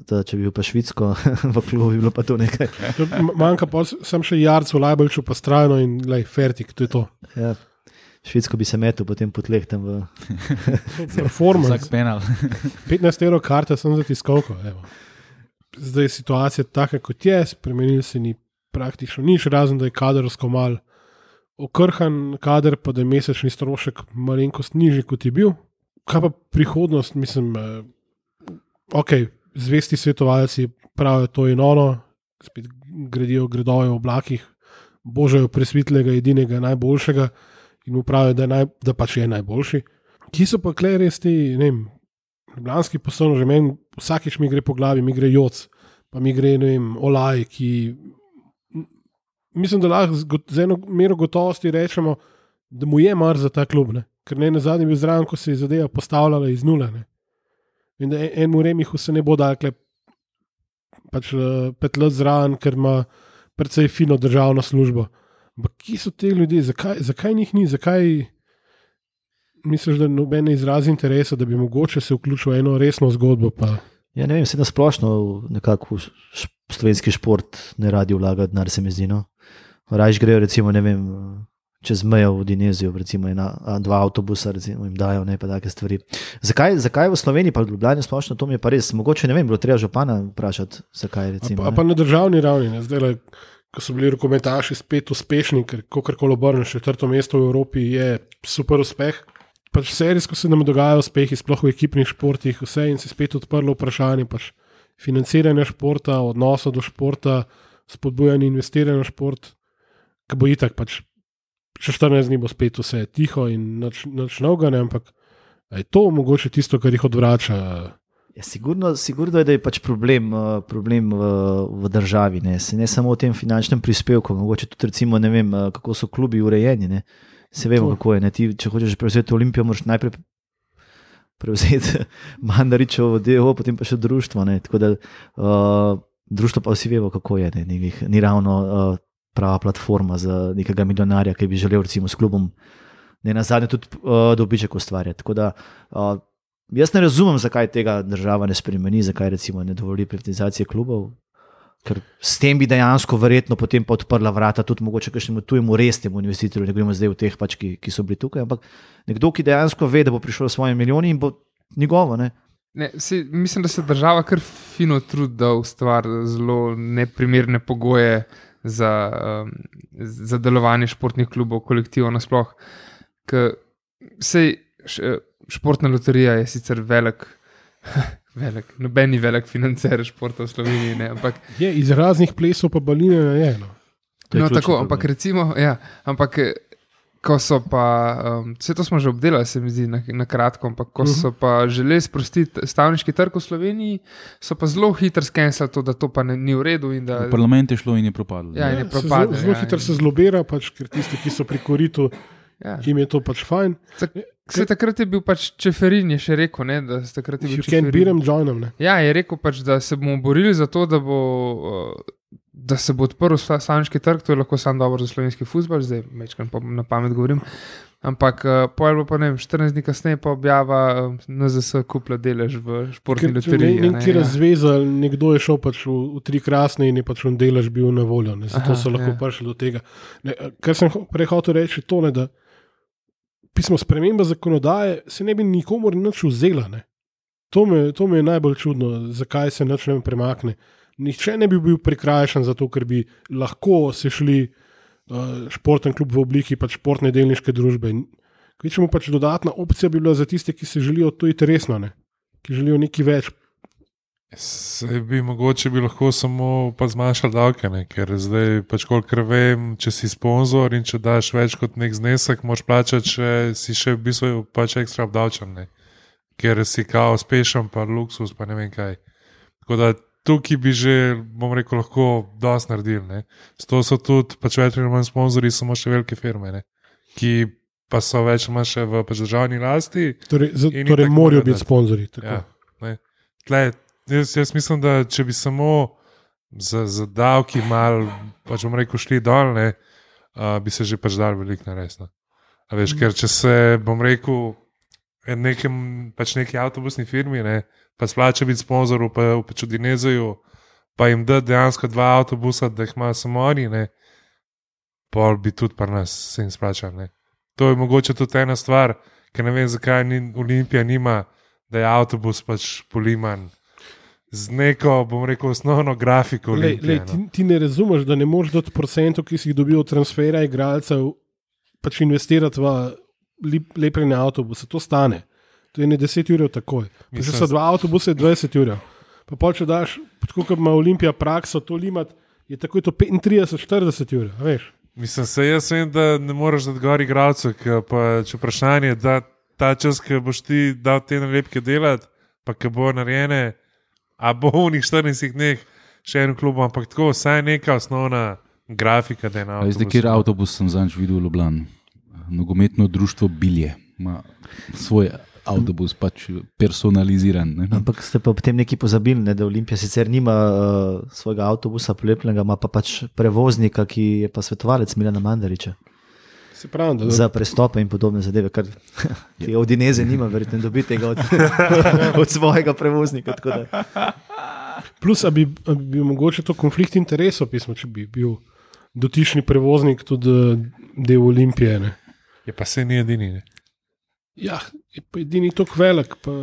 da če bi bil pa Švidsko v klubu, bi bilo pa to nekaj. Manjka pa sem še Jarcu, Lajbalču pa strajno in lej, fertik, to je to. Ja. Švidsko bi se metil potem po tleh tam v... Performance. Vsak penal. petnajst evrov karta sem za tiskovko. Evo. Zdaj je situacija taka, kot je, spremenil se ni praktično nič, razen da je kadersko mal okrhan kader, pa da je mesečni strošek malenkost nižji, kot je bil. Kaj pa prihodnost, mislim... Ok, zvesti svetovalci pravijo to in ono, spet gradijo gradove v oblakih, božajo presvitlega, edinega, najboljšega in mu pravijo, da, naj, da pač je najboljši. Ki so pa kle res ti, ne vem, ljubljanski poslovno, že meni vsakič mi gre po glavi, mi gre Joc, pa mi gre, ne vem, Olaj, ki mislim, da lahko z eno mero gotovosti rečemo, da mu je mar za ta klub, ne? Ker ne nazadnje bil zraven, ko se je zadeva postavljala iz nule, ne? In da enemu Remihu se ne bo dakle pač pet let zraven, ker ima precej fino državno službo. Ampak kje so te ljudje, zakaj, zakaj njih ni, zakaj misliš, da noben ne izrazi interesa, da bi mogoče se vključil v eno resno zgodbo? Pa... Ja, ne vem, se na splošno nekako v slovenski šport ne radi vlaga denar, se mi zdi. No? Rajš grejo recimo, ne vem, čez mejo v Dinezijo, recimo ena, dva avtobusa recimo, jim dajo, ne pa take stvari. Zakaj, zakaj v Sloveniji pa v Ljubljani splošno, to mi je pa res, mogoče ne vem, bilo treba župana vprašati, zakaj recimo. A pa, a pa na državni ravni, ne, zdaj le, ko so bili rokometaši spet uspešni, ker kakorkoli obrneš, četrto mesto v Evropi je super uspeh. Pač serijsko se nam dogajajo uspehi, sploh v ekipnih športih, vse in se spet odprlo vprašanje pač financiranja športa, odnosa do športa, spodbujanja investiranja v šport, ki bo itak pač še štirinajst dni bo spet vse tiho in nič, nič novega, ne, ampak je to mogoče tisto, kar jih odvrača? Ja, sigurno, sigurno je, da je pač problem, problem v, v državi, ne. Se ne samo v tem finančnem prispevku, mogoče tudi recimo, ne vem, kako so klubi urejeni, ne. Se vemo, kako je, ne. Ti, če hočeš prevzeti Olimpijo, moraš najprej prevzeti Mandaričevo D O O, potem pa še društvo, ne. Tako da uh, društvo pa vsi vemo, kako je, ne. Ni, ni ravno uh, prava platforma za nekega milijonarja, ki bi želel recimo s klubom ne nazadnje tudi uh, dobiček ustvarjati. Tako da uh, jaz ne razumem, zakaj tega država ne spremeni, zakaj recimo ne dovoli privatizacije klubov, ker s tem bi dejansko verjetno potem pa odprla vrata tudi mogoče kakšnemu tujemu resnemu investitorju, ne gremo zdaj v teh pač, ki, ki so bili tukaj, ampak nekdo, ki dejansko ve, da bo prišel s svojimi milijoni in bo njegovo, ne. Ne, si, mislim, da se država kar fino trudi, da ustvari zelo neprimerne pogoje za, um, za delovanje športnih klubov, kolektivov nasploh. Sej športna loterija je sicer velik, velik noben ni velik financer športa v Sloveniji, ne, ampak je iz raznih plesov pa baline je. No, no tako, ampak recimo, ja, ampak ko so pa, um, vse to smo že obdelali, se mi zdi na, na kratko, ampak ko uh-huh. so pa želeli sprostiti stavniški trg v Sloveniji, so pa zelo hitro skenslali to, da to pa ne, ni v redu. In da, v parlament je šlo in je propadlo. Ja, in je propadlo. Zelo, zelo ja, hitro in... se zlobira, pač, ker tisti, ki so pri koritu, ja. Jim je to pač fajn. Tak, se takrat je bil pač Čeferin, je še rekel, ne, da se takrat je bil Čeferin. You can't beat them, join them, ne. Ja, je rekel pač, da se bomo borili za to, da bo... Uh, da se bo odprl stavniški trg, to je lahko sam dobro za slovenski fuzbal, zdaj mečkam na pamet govorim, ampak uh, pojel bo pa ne vem, štirinajst dni kasneje pa objava uh, N Z S kupla delež v športni loteriji. Ne, nekje razveza, nekdo je šel pač v, v tri krasne in je pač on delež bil na voljo, ne, zato Aha, so lahko ja. prišli do tega. Ne, kar sem prej hotel reči, to ne, da pismo sprememba zakonodaje se ne bi nikomor nič vzela, ne. To me, to me je najbolj čudno, zakaj se nič ne premakne. Nihče ne bi bil prikrajšan zato, ker bi lahko se šli uh, športen klub v obliki pač športne delniške družbe. Kvečemu pač dodatna opcija bi bila za tiste, ki se želijo to iti resno, ne? Ki želijo nekaj več. Se bi mogoče bi lahko samo pa zmanjšali davke, ne? Ker zdaj pač kolikor vem, če si sponzor in če daš več kot nek znesek, moraš plačati, če si še v bistvu pač ekstra obdavčen, ne? Ker si kao uspešen, pa luksus, pa ne vem kaj. Tako da tukaj bi že, bom rekel, lahko dosti naredili. Ne? Zato so tudi pač več ali manj sponzorji, samo še velike firme, ne? Ki pa so več ali manj še v pač državni lasti. Torej, z, torej morajo biti sponzorji. Ja, Tle, jaz, jaz mislim, da če bi samo za, za davki mal, pač bom rekel, šli dol, ne, uh, bi se že pač dal veliko narediti. A veš, mm. ker če se, bom rekel, nekem, pač neki avtobusni firmi, ne, pa splača biti sponzor v, v pač v Dinezeju, pa jim da dejansko dva avtobusa, da jih imajo samo oni, ne, pol bi tudi pa nas se jim splačal. Ne. To je mogoče tudi ena stvar, ker ne vem, zakaj ni, Olimpija nima, da je avtobus pač poliman z neko, bom rekel, osnovno grafiko. Olimpije, lej, lej, ti, ti ne razumeš, da ne moreš dati procentov, ki si jih dobil od transfera igralcev, pač investirati v lepljenje avtobusa. To stane. To je ne deset ur takoj. Če so dva avtobusa, je dvajset ur. Pa pol, če daš, tako kot ima Olimpija prakso, to limat, je takoj to petintrideset štirideset ur, veš. Mislim, se jaz vem, da ne moreš dati gor igralcev, pa če vprašanje, da ta čas, ki boš ti dal te nalepke delati, pa ki bo narejene, a bo v njih štirinajstih dneh še en klub, ampak tako, vsaj neka osnovna grafika, da je na avtobusu. Zdaj, kjer avtobus sem zanč videl v Ljubljani? Nogometno društvo Bilje. Ma svoj avtobus pač personaliziran. Ne? Ampak ste pa potem neki pozabili, ne, da Olimpija sicer nima uh, svojega avtobusa polepljenega, ima pa pač prevoznika, ki je pa svetovalec Milana Mandariča. Se pravi, da Za prestope in podobne zadeve, kar ti od Dineze nima, verjetno dobiti tega od, od svojega prevoznika. Tako da. Plus, a bi, a bi bil mogoče to konflikt interesov, pismo, če bi bil dotični prevoznik tudi del Olimpije. Ne? Je pa se ni edini. Ne? Ja, je pa edini tako velik. Pa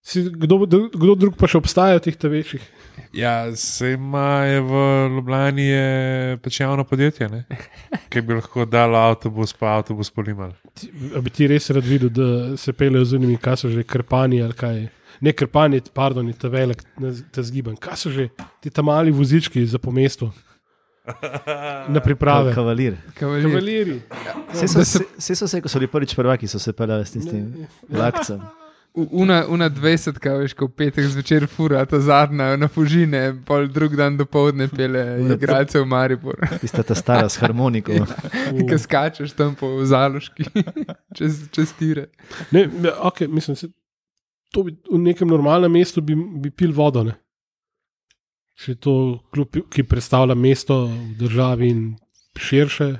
si, kdo, kdo drug pa še obstaja v teh ta večjih? Ja, se ima je v Ljubljani je pač javno podjetje, ne? Ki bi lahko dal avtobus, pa avtobus polimal. A bi ti res rad videl, da se peljejo z unimi, kaj so že krpani ali kaj? Ne krpani, pardon, je ta velik, ta zgiban. Kaj so že ti ta mali vozički za po mestu? Na priprave. Kavalir. Kavalir. Kavaliri. Vse so, se, se, so se, ko so bili prvič prvaki, so se peljali s tistim vlakcem. Una, una dvajsetka, veš, ko v petek zvečer fura, ta zadnja na Fužine, pol drug dan do povdne pele igralce v Maribor. Tista ta stara s harmoniko. Ki skačeš tam po Zaloški, čez, čez tire. Ne, ok, mislim, se, to bi v nekem normalnem mestu bi, bi pil vodo, ne? Če je to klub, ki predstavlja mesto v državi in širše,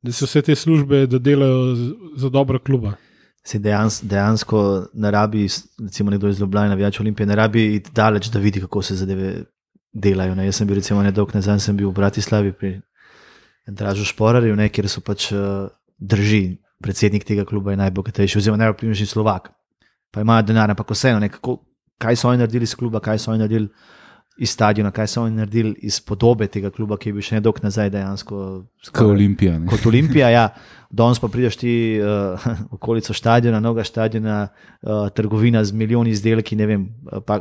da se vse te službe, da delajo za, za dobro kluba. Se dejansko, dejansko ne rabi, recimo nekdo iz Ljubljana, navijač Olimpije, ne rabi iti daleč, da vidi, kako se zadeve delajo. Ne. Jaz sem bil recimo nedolgo nazaj, sem bil v Bratislavi pri Dražu Šporarju, ne, kjer so pač uh, drži, predsednik tega kluba je najbogatejši, oziroma najvplivnejši Slovak. Pa imajo denar, ampak vseeno, ne, kako, kaj so oni naredili iz kluba, kaj so oni naredili iz stadiona, kaj so oni naredili iz podobe tega kluba, ki je bil še nedolgo nazaj dejansko. Kot Olimpija. Ne? Kot Olimpija, ja. Danes pa prideš ti uh, okolico stadiona, novega stadiona, uh, trgovina z milijoni izdelki, ne vem, pa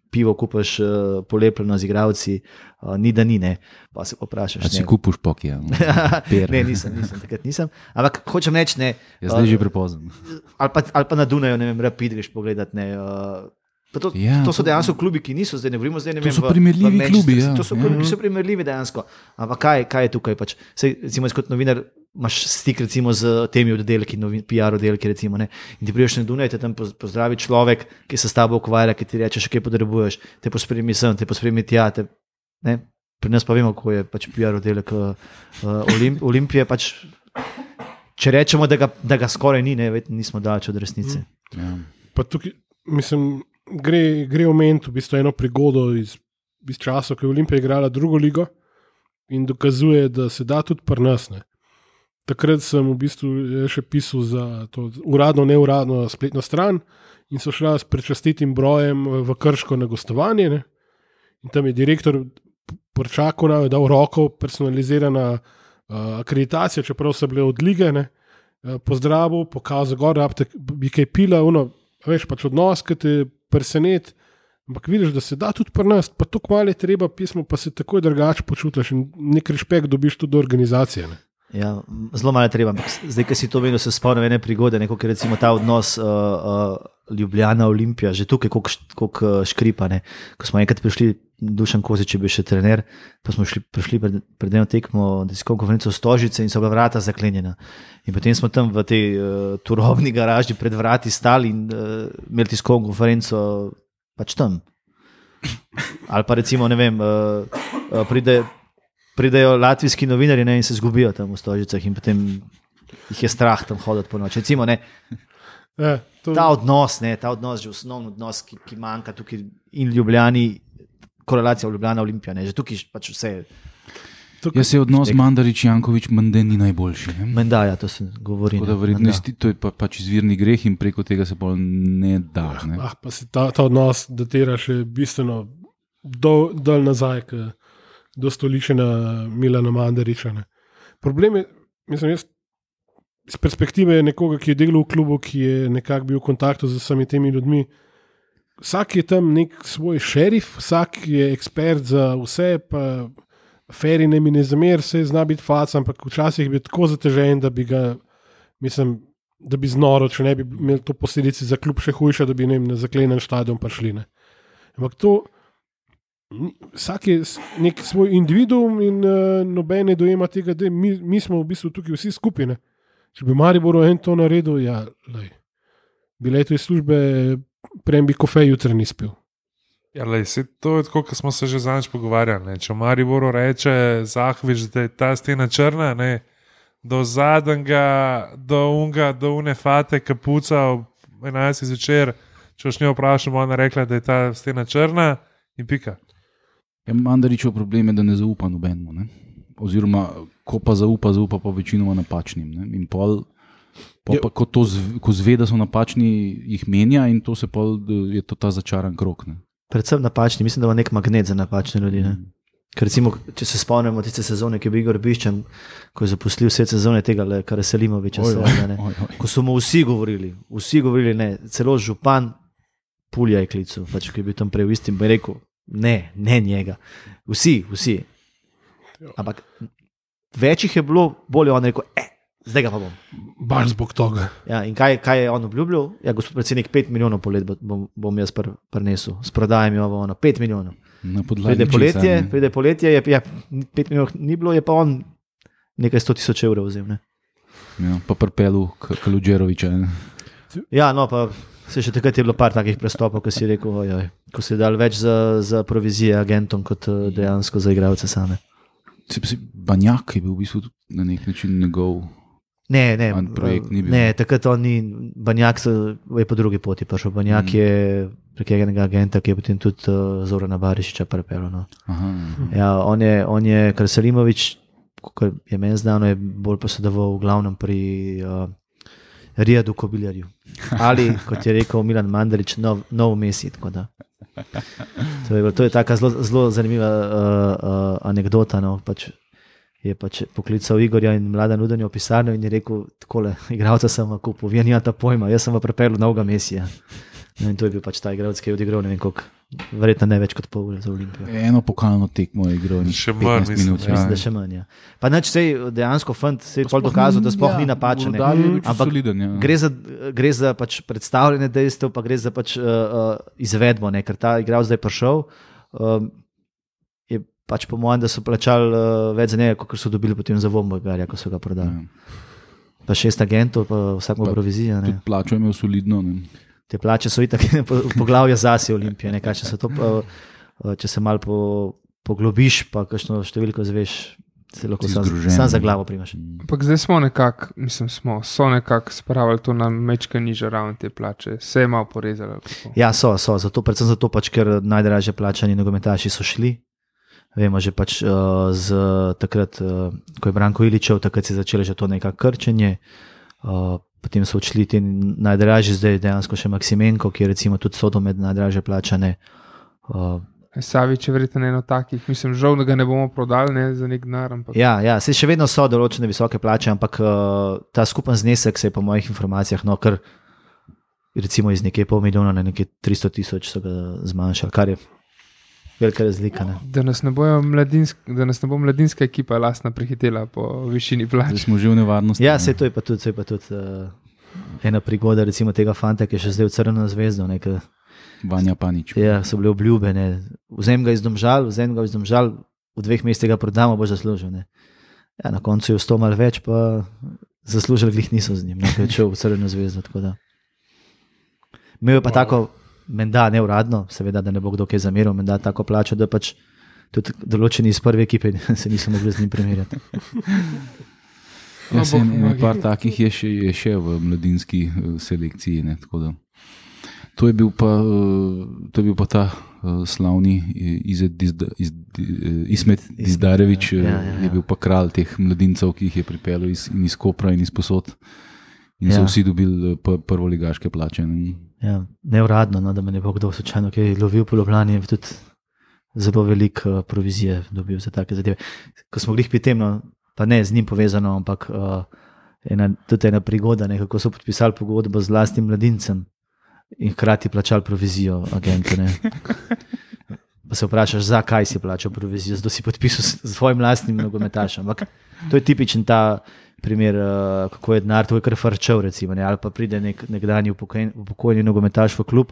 pivo kupaš uh, polepljeno z igralci, uh, ni da ni, ne. Pa se poprašaš. A si kupuš pokija? Ne, nisem, nisem, takrat nisem. Ampak hočem reči, ne. Je zdaj uh, že prepozno. Ali pa, ali pa na Dunaju, ne vem, Rapid greš pogledat, ne. Uh, To, ja, to so dejansko klubi, ki niso zdaj, ne govorimo zdaj, ne vem, to so primerljivi klubi. Ja. To so klubi, ki so primerljivi dejansko. Ampak kaj, kaj je tukaj? Pač? Sej, recimo, kot novinar imaš stik recimo, z temi oddelki, P R oddelki, recimo, ne? In ti prideš na Dunaj, te tam pozdravi človek, ki se s tabo ukvarja, ki ti reče, še kaj potrebuješ, te pospremi sem, te pospremi tja. Te, ne? Pri nas pa vemo, kako je pač P R oddelek uh, Olimp, Olimpije. Pač, če rečemo, da ga, da ga skoraj ni, ne, nismo daleč od resnice. Ja. Pa tukaj, mislim, Gre, gre omeniti v bistvu eno prigodo iz, iz časa, ko je Olimpija igrala drugo ligo in dokazuje, da se da tudi pri nas. Ne. Takrat sem v bistvu še pisal za to uradno, neuradno spletno stran in so šla s prečastitim brojem v Krško na gostovanje. Ne. In tam je direktor Porčaku nam je dal roko, personalizirana uh, akreditacija, čeprav so bile od lige, ne. Uh, pozdravil, pokazal gor, da bi kaj pila, ono, veš, pač odnos, ki te presenet, ampak vidiš, da se da tudi pri nas, pa tako malo je treba pismo, pa se takoj drugače počutiš in nek respekt dobiš tudi do organizacije. Ne? Ja, zelo malo je treba, ampak zdaj, ki si to vedno se spomnim ene prigode, neko, ker recimo ta odnos uh, uh, Ljubljana, Olimpija, že tukaj koliko škripa, ne? Ko smo enkrat prišli, Dušan Kozič je bil še trener, pa smo šli, prišli pred, pred eno tekmo tiskovno konferenco Stožice in so bila vrata zaklenjena. In potem smo tam v tej uh, turobni garaži pred vrati stali in uh, imeli tiskovno konferenco pač tam. Ali pa recimo, ne vem, uh, uh, pride, pridejo latvijski novinari, ne, in se zgubijo tam v Stožicah in potem jih je strah tam hoditi po noči. Recimo, ne, Ja, to... ta odnos, ne, ta odnos, že osnovni odnos, ki, ki manjka tukaj in Ljubljani, korelacija v Ljubljana, Olimpija, ne, že tukaj pač vse. Tukaj... Jaz se odnos Mandarič-Jankovič menda ni najboljši. Menda, ja, to se govori. Da, verjetno, to je pa, pač izvirni greh in preko tega se pa ne da. Ne? Ah, pa se ta, ta odnos datira še bistveno dol, dol nazaj, do stoličena Milana Mandariča. Ne. Problem je, mislim, jaz iz perspektive nekoga, ki je delal v klubu, ki je nekako bil v kontaktu z vsemi temi ljudmi. Vsak je tam nek svoj šerif, vsak je ekspert za vse, pa feri ne mi ne zamer, se zna biti fac, ampak včasih bi tako zatežen, da bi ga, mislim, da bi znoro, če ne bi imeli to posledice za klub še hujše, da bi ne, na zaklenen štadion prišli. Ne. Ampak to, vsak je nek svoj individuum in uh, nobene dojema tega, da mi, mi smo v bistvu tukaj vsi skupine. Če bi Maribor en to naredil, ja, lej. bi letel iz službe, prej bi kofej jutra ni spil. Ja, lej, se, to je tako, kot smo se že zadnjič pogovarjali. Ne. Če v Mariboru reče Zahovič, da je ta stena črna, ne, do zadnjega, do unga, do une fate, kapuca ob enajstih zvečer, če už njo vprašamo, ona rekla, da je ta stena črna in pika. Ja, Mandaričev problem je, da ne zaupa nobenemu. Ne? Oziroma, ko pa zaupa, zaupa pa večinoma napačnim. Ne? In pol, pol pa, ko, to zve, ko zve, da so napačni, jih menja in to se pol, je to ta začaran krok. Ne? Predvsem napačni, mislim, da je nek magnet za napačne ljudi. Ne? Ker recimo, če se spomnimo tiste sezone, ki je bil Igor Biščan, ko je zaposlil vse sezone tega, kar je Selimoviča, ko so mu vsi govorili, vsi govorili ne, celo župan Pulja je klical, pač, ki je bil tam prej v istim, bi rekel, ne, ne njega. Vsi, vsi. Ampak več jih je bilo, bolje on rekel, eh, zdaj ga pa bom. Baš zbog toga. Ja, in kaj, kaj je on obljubljal? Ja, gospod predsednik, pet milijonov po let bom, bom jaz pr, prinesel, s prodajem jo ono, pet milijonov. Pride poletje, pride poletje, je, ja, pet milijonov ni bilo, je pa on nekaj sto tisoč evrov vzel. Ne? Ja, pa prpelu Kaludžeroviča. Ja, no, pa se še takrat je bilo par takih prestopov, ko si rekel, ojoj, ko si dal več za, za provizije agentom, kot dejansko za igralce same. Banjak je bil v bistvu na nek način njegov ne, ne, projekt. Ni bil. Ne, takrat on ni, Banjak je po drugi poti prišel. Banjak mm. je prek enega agenta, ki je potem tudi uh, Zorana Barišiča prepelo. No. Aha, aha. Ja, on je, on je kar Selimovič, kot je meni znano, je bolj posedoval v glavnem pri uh, Rijadu Kobiljarju. Ali, kot je rekel Milan Mandarič, nov, nov Messi. To je, to je taka zelo, zelo zanimiva uh, uh, anekdota. No. Pač je pač poklical Igorja in Mladen Udanjo v pisarno in je rekel, takole, igralca sem v kupu, vi nimate pojma, jaz sem v prepelu novega Messija. No, in to je bil pač ta igralec, ki je odigral, ne vem koliko, verjetno ne več kot pol ure za Olimpijo. Eno pokalno tekmo je igral. Še manj, mislim, ja. Mislim, da še manj. Ja. Pa neč sej dejansko fant se je pol dokazal, da sploh ja, ni napačen. Ampak soliden, ja. gre za, gre za pač predstavljene dejstev, pa gre za pač uh, uh, izvedbo, ne? Ker ta igralec zdaj prišel, um, je pač po mojem, da so plačali uh, več za njega, kot so dobili potem za Vombergarja, ko so ga prodali. Ja. Pa šest agentov, pa vsak ima provizija. Tudi plačo je imel solidno, ne? Te plače so itak poglavje zase Olimpije, ne, kaj, če, se to, če se malo po, poglobiš, pa kakšno številko zveš, se lahko sam, sam za glavo primaš. Ampak zdaj smo nekako, mislim, smo, so nekako spravili to na mečka nižjo raven te plače, se je malo porezali. Ja, so, so, zato, predvsem zato pač, ker najdražje plačani nogometaši so šli. Vemo že pač uh, z takrat, uh, ko je Branko Iličev, takrat se je začelo že to nekako krčenje. Uh, Potem so odšli ti najdražji, zdaj dejansko še Maksimenko, ki je recimo tudi sodo med najdražje plačane. Uh, Savič je verjetno eno takih, mislim, žal, da ga ne bomo prodali ne, za nek denar. Ampak... Ja, ja, se še vedno so določene visoke plače, ampak uh, ta skupen znesek se je po mojih informacijah, no, kar recimo iz nekaj pol milijona na nekaj tristo tisoč so ga zmanjšali, kar je velika razlika. Ne. Da nas ne, mladinsk, da nas ne bo mladinska ekipa lastna prehitela po višini plač. Da smo že v nevarnosti. Ja, se to je pa tudi, je pa tudi uh, ena prigoda recimo tega fanta, ki je še zdaj v Crveno zvezdo. Ne, ka, Vanja Panič. Ja, so bile obljube. Ne. Vzem ga iz Domžal, vzem ga iz Domžal, v dveh mestih ga prodamo, boš zaslužil. Ne. Ja, na koncu je vsto malo več, pa zaslužili glih niso z njim, ne, ker je šel v Crveno zvezdo. Tako da. Imel je pa wow. tako menda neuradno, seveda, da ne bo kdo kaj zameril, menda tako plačo, da pač tudi določeni iz prve ekipe se niso mogli z njim primerjati. Ja, se en par takih je še, je še v mladinski selekciji, ne, tako da. To je bil pa, to je bil pa ta uh, slavni Izet Dizda, iz, Ismet Dizdarevič, ja, ja, ja. Je bil pa kralj teh mladincev, ki jih je pripeljal iz, iz Kopra in iz posod. In so ja. vsi dobili prvoligaške plače. Ne? Ja, neuradno, no, da me ne bo kdo slučajno, ki je lovil po Ljubljani, je tudi zelo velik uh, provizije dobil za take zadeve. Ko smo glih pri tem, no, pa ne z njim povezano, ampak uh, ena, tudi ena prigoda, ne, kako so podpisali pogodbo z lastnim mladincem in hkrati plačali provizijo agentu. Ne. Pa se vprašaš, zakaj si plačal provizijo, zato si podpisal s svojim lastnim nogometašem. Ampak to je tipičen ta primer, uh, kako je denar, to je kar farčev, recimo, ne? Ali pa pride nek, nekdanji upokojeni nogometaš v klub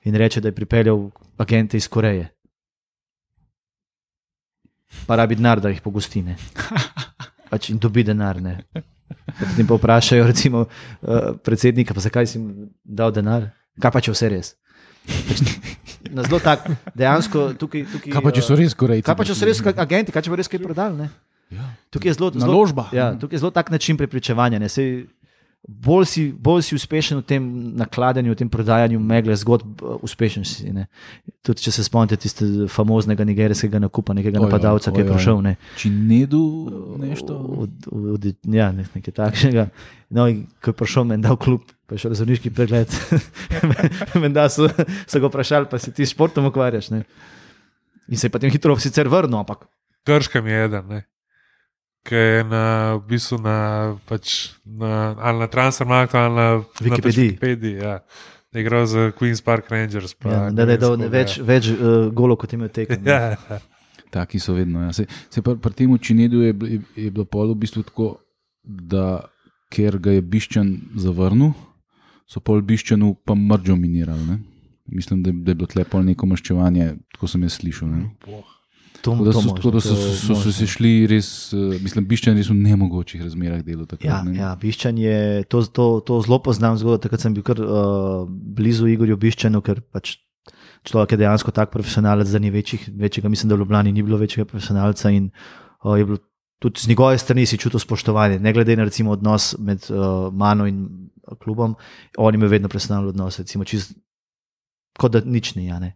in reče, da je pripeljal agente iz Koreje. Pa rabi denar, da jih pogosti, ne. Pač in dobi denar, ne. Potem pa vprašajo recimo, uh, predsednika, pa zakaj si jim dal denar, kaj pa če vse res. Na zelo tak, dejansko tukaj... tukaj Kaj pa če so res korejci? Kaj pa če so res agenti, kaj če bo res kaj prodali, ne? Ja. Tukaj je zelo... zelo Naložba. Ja, tukaj je zelo tak način prepričevanja, ne? Sej, bolj, si, bolj si uspešen v tem nakladanju, v tem prodajanju megle zgodb, uspešen si, ne? Tudi če se spomnite tiste famoznega nigerijskega nakupa, nekega napadalca, ki je prišel, ne? Činedu nešto? Od, od, od, ja, nekaj takšnega. No, in ko je prišel menda v klub, pa je šel razumniški pregled, menda so, so ga vprašali, pa si ti s športom ukvarjaš, ne? In se je potem hitro sicer vrnil, ampak... Krškem je eden, ne? Ki je na, v bistvu na, pač na, ali na Transfermarktu, ali na Wikipediji. Wikipediji, ja. Da je igral za Queen's Park Rangers. Pa Ja, da je dal več, več uh, golov, kot ima tekem. Ja, ja. Taki so vedno. Ja. Se, se pri, pri tem Činedu je, je, je bilo pol v bistvu tako, da ker ga je Bišćan zavrnil, so pol Bišćanu pa mrđo minirali. Ne? Mislim, da, da je bilo tle pol neko maščevanje, tako sem jaz slišal. Ne? To, Tako da to so, možno, tako da so, to so, so se šli res, uh, mislim, Bišćan res v nemogočih razmerah delo. Takrat, Ja, ne. ja, Bišćan je, to, to, to zelo poznam zgodbo, takrat sem bil kar uh, blizu Igorju Bišćanu, ker pač človek je dejansko tak profesionalec, da ni večjih, večjega, mislim, da v Ljubljani ni bilo večjega profesionalca in uh, je bilo tudi z njegove strani si čutil spoštovanje, ne glede na recimo odnos med uh, mano in klubom, on ima vedno profesionalni odnos, recimo čist, kot da nič ni, ja ne.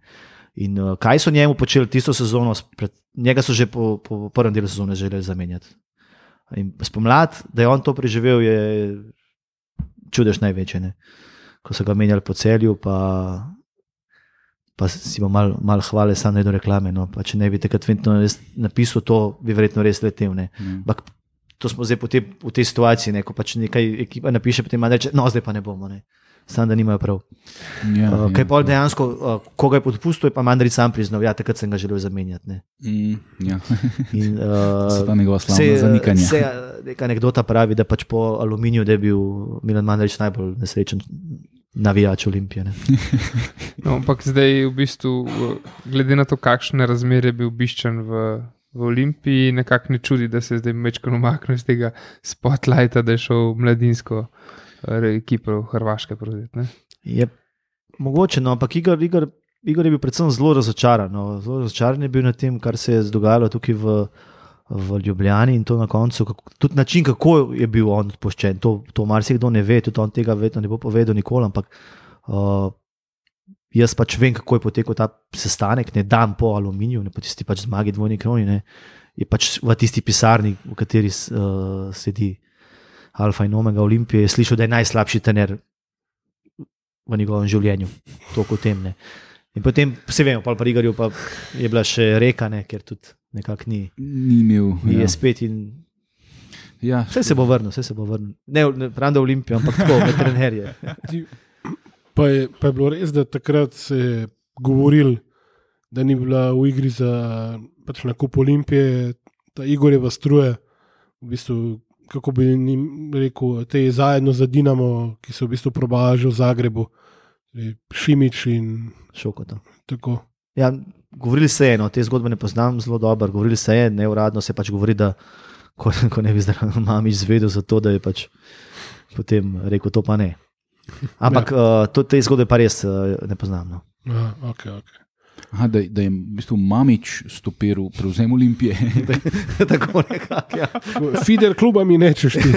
In uh, kaj so njemu počeli tisto sezono, pred, njega so že po, po prvem delu sezone želeli zamenjati. In spomlad, da je on to preživel, je čudež največje. Ne? Ko so ga menjali po Celju, pa, pa si bo mal, mal hvale sam ne do reklame. No? Pa če ne bi takrat napisal to, bi verjetno res letel. Mm. Bak, to smo zdaj po te, v tej situaciji, ne? Ko pač nekaj ekipa napiše, potem reče, no zdaj pa ne bomo. Ne? Sam da nimajo prav. Ja, Uh, ja, kaj pa ja. dejansko, uh, ko ga je podpustil, je pa Mandarić sam priznal, ja, takrat sem ga želel zamenjati. Ne. Mm, ja. In, uh, So ta njegova slavna se, zanikanja. se neka anekdota pravi, da pač po Aluminiju, da je bil Milan Mandarić najbolj nesrečen navijač Olimpije. Ne. No, ampak zdaj v bistvu, glede na to, kakšne razmere je bil Bišćan v, v Olimpiji, nekako ne čudi, da se je zdaj mečkano umaknil iz tega spotlighta, da je šel v mladinsko ekipo v Hrvaške prevzeti. Je mogoče, no, ampak Igor, Igor, Igor je bil predvsem zelo razočaran. No. Zelo razočaran je bil nad tem, kar se je dogajalo tukaj v, v Ljubljani in to na koncu, kako, tudi način, kako je bil on odpuščen. To, to marsikdo ne ve, tudi on tega vedno ne bo povedal nikoli, ampak uh, jaz pač vem, kako je potekal ta sestanek, ne dan po Aluminiju, ne po tisti pač zmagi dvojni kroni, ne, je pač v tisti pisarni, v kateri uh, sedi Alfa in Omega Olimpije, je slišal, da je najslabši trener v njegovem življenju. Toliko o tem. Ne. In potem, vse vemo, pa pri Igorju pa je bila še reka, ne, ker tudi nekako ni. Ni imel. Ni Ja. je spet in Ja, vse se bo vrnil, vse se bo vrnil. Ne, ne pravim, da Olimpijo, ampak tako, med trenerje. Pa je, pa je bilo res, da takrat se je govoril, da ni bila v igri za pač nakup Olimpije, ta Igorjeva struja, v bistvu, kako bi jim rekel, te zajedno za Dinamo, ki so v bistvu probali že v Zagrebu, Šimič in Šokota. tako. Ja, govorili se je, no, te zgodbe ne poznam zelo dobro, govorili se je, neuradno se pač govori, da ko, ko ne bi zdaj Mamić zvedel za to, da je pač potem rekel, to pa ne. Ampak ja. uh, to, te zgodbe pa res uh, ne poznam. No. Aha, okay, okay. Aha, da, da je v bistvu Mamić stopiral prevzem Olimpije. Tako nekako, ja. Fidel kluba mi nečeš ti.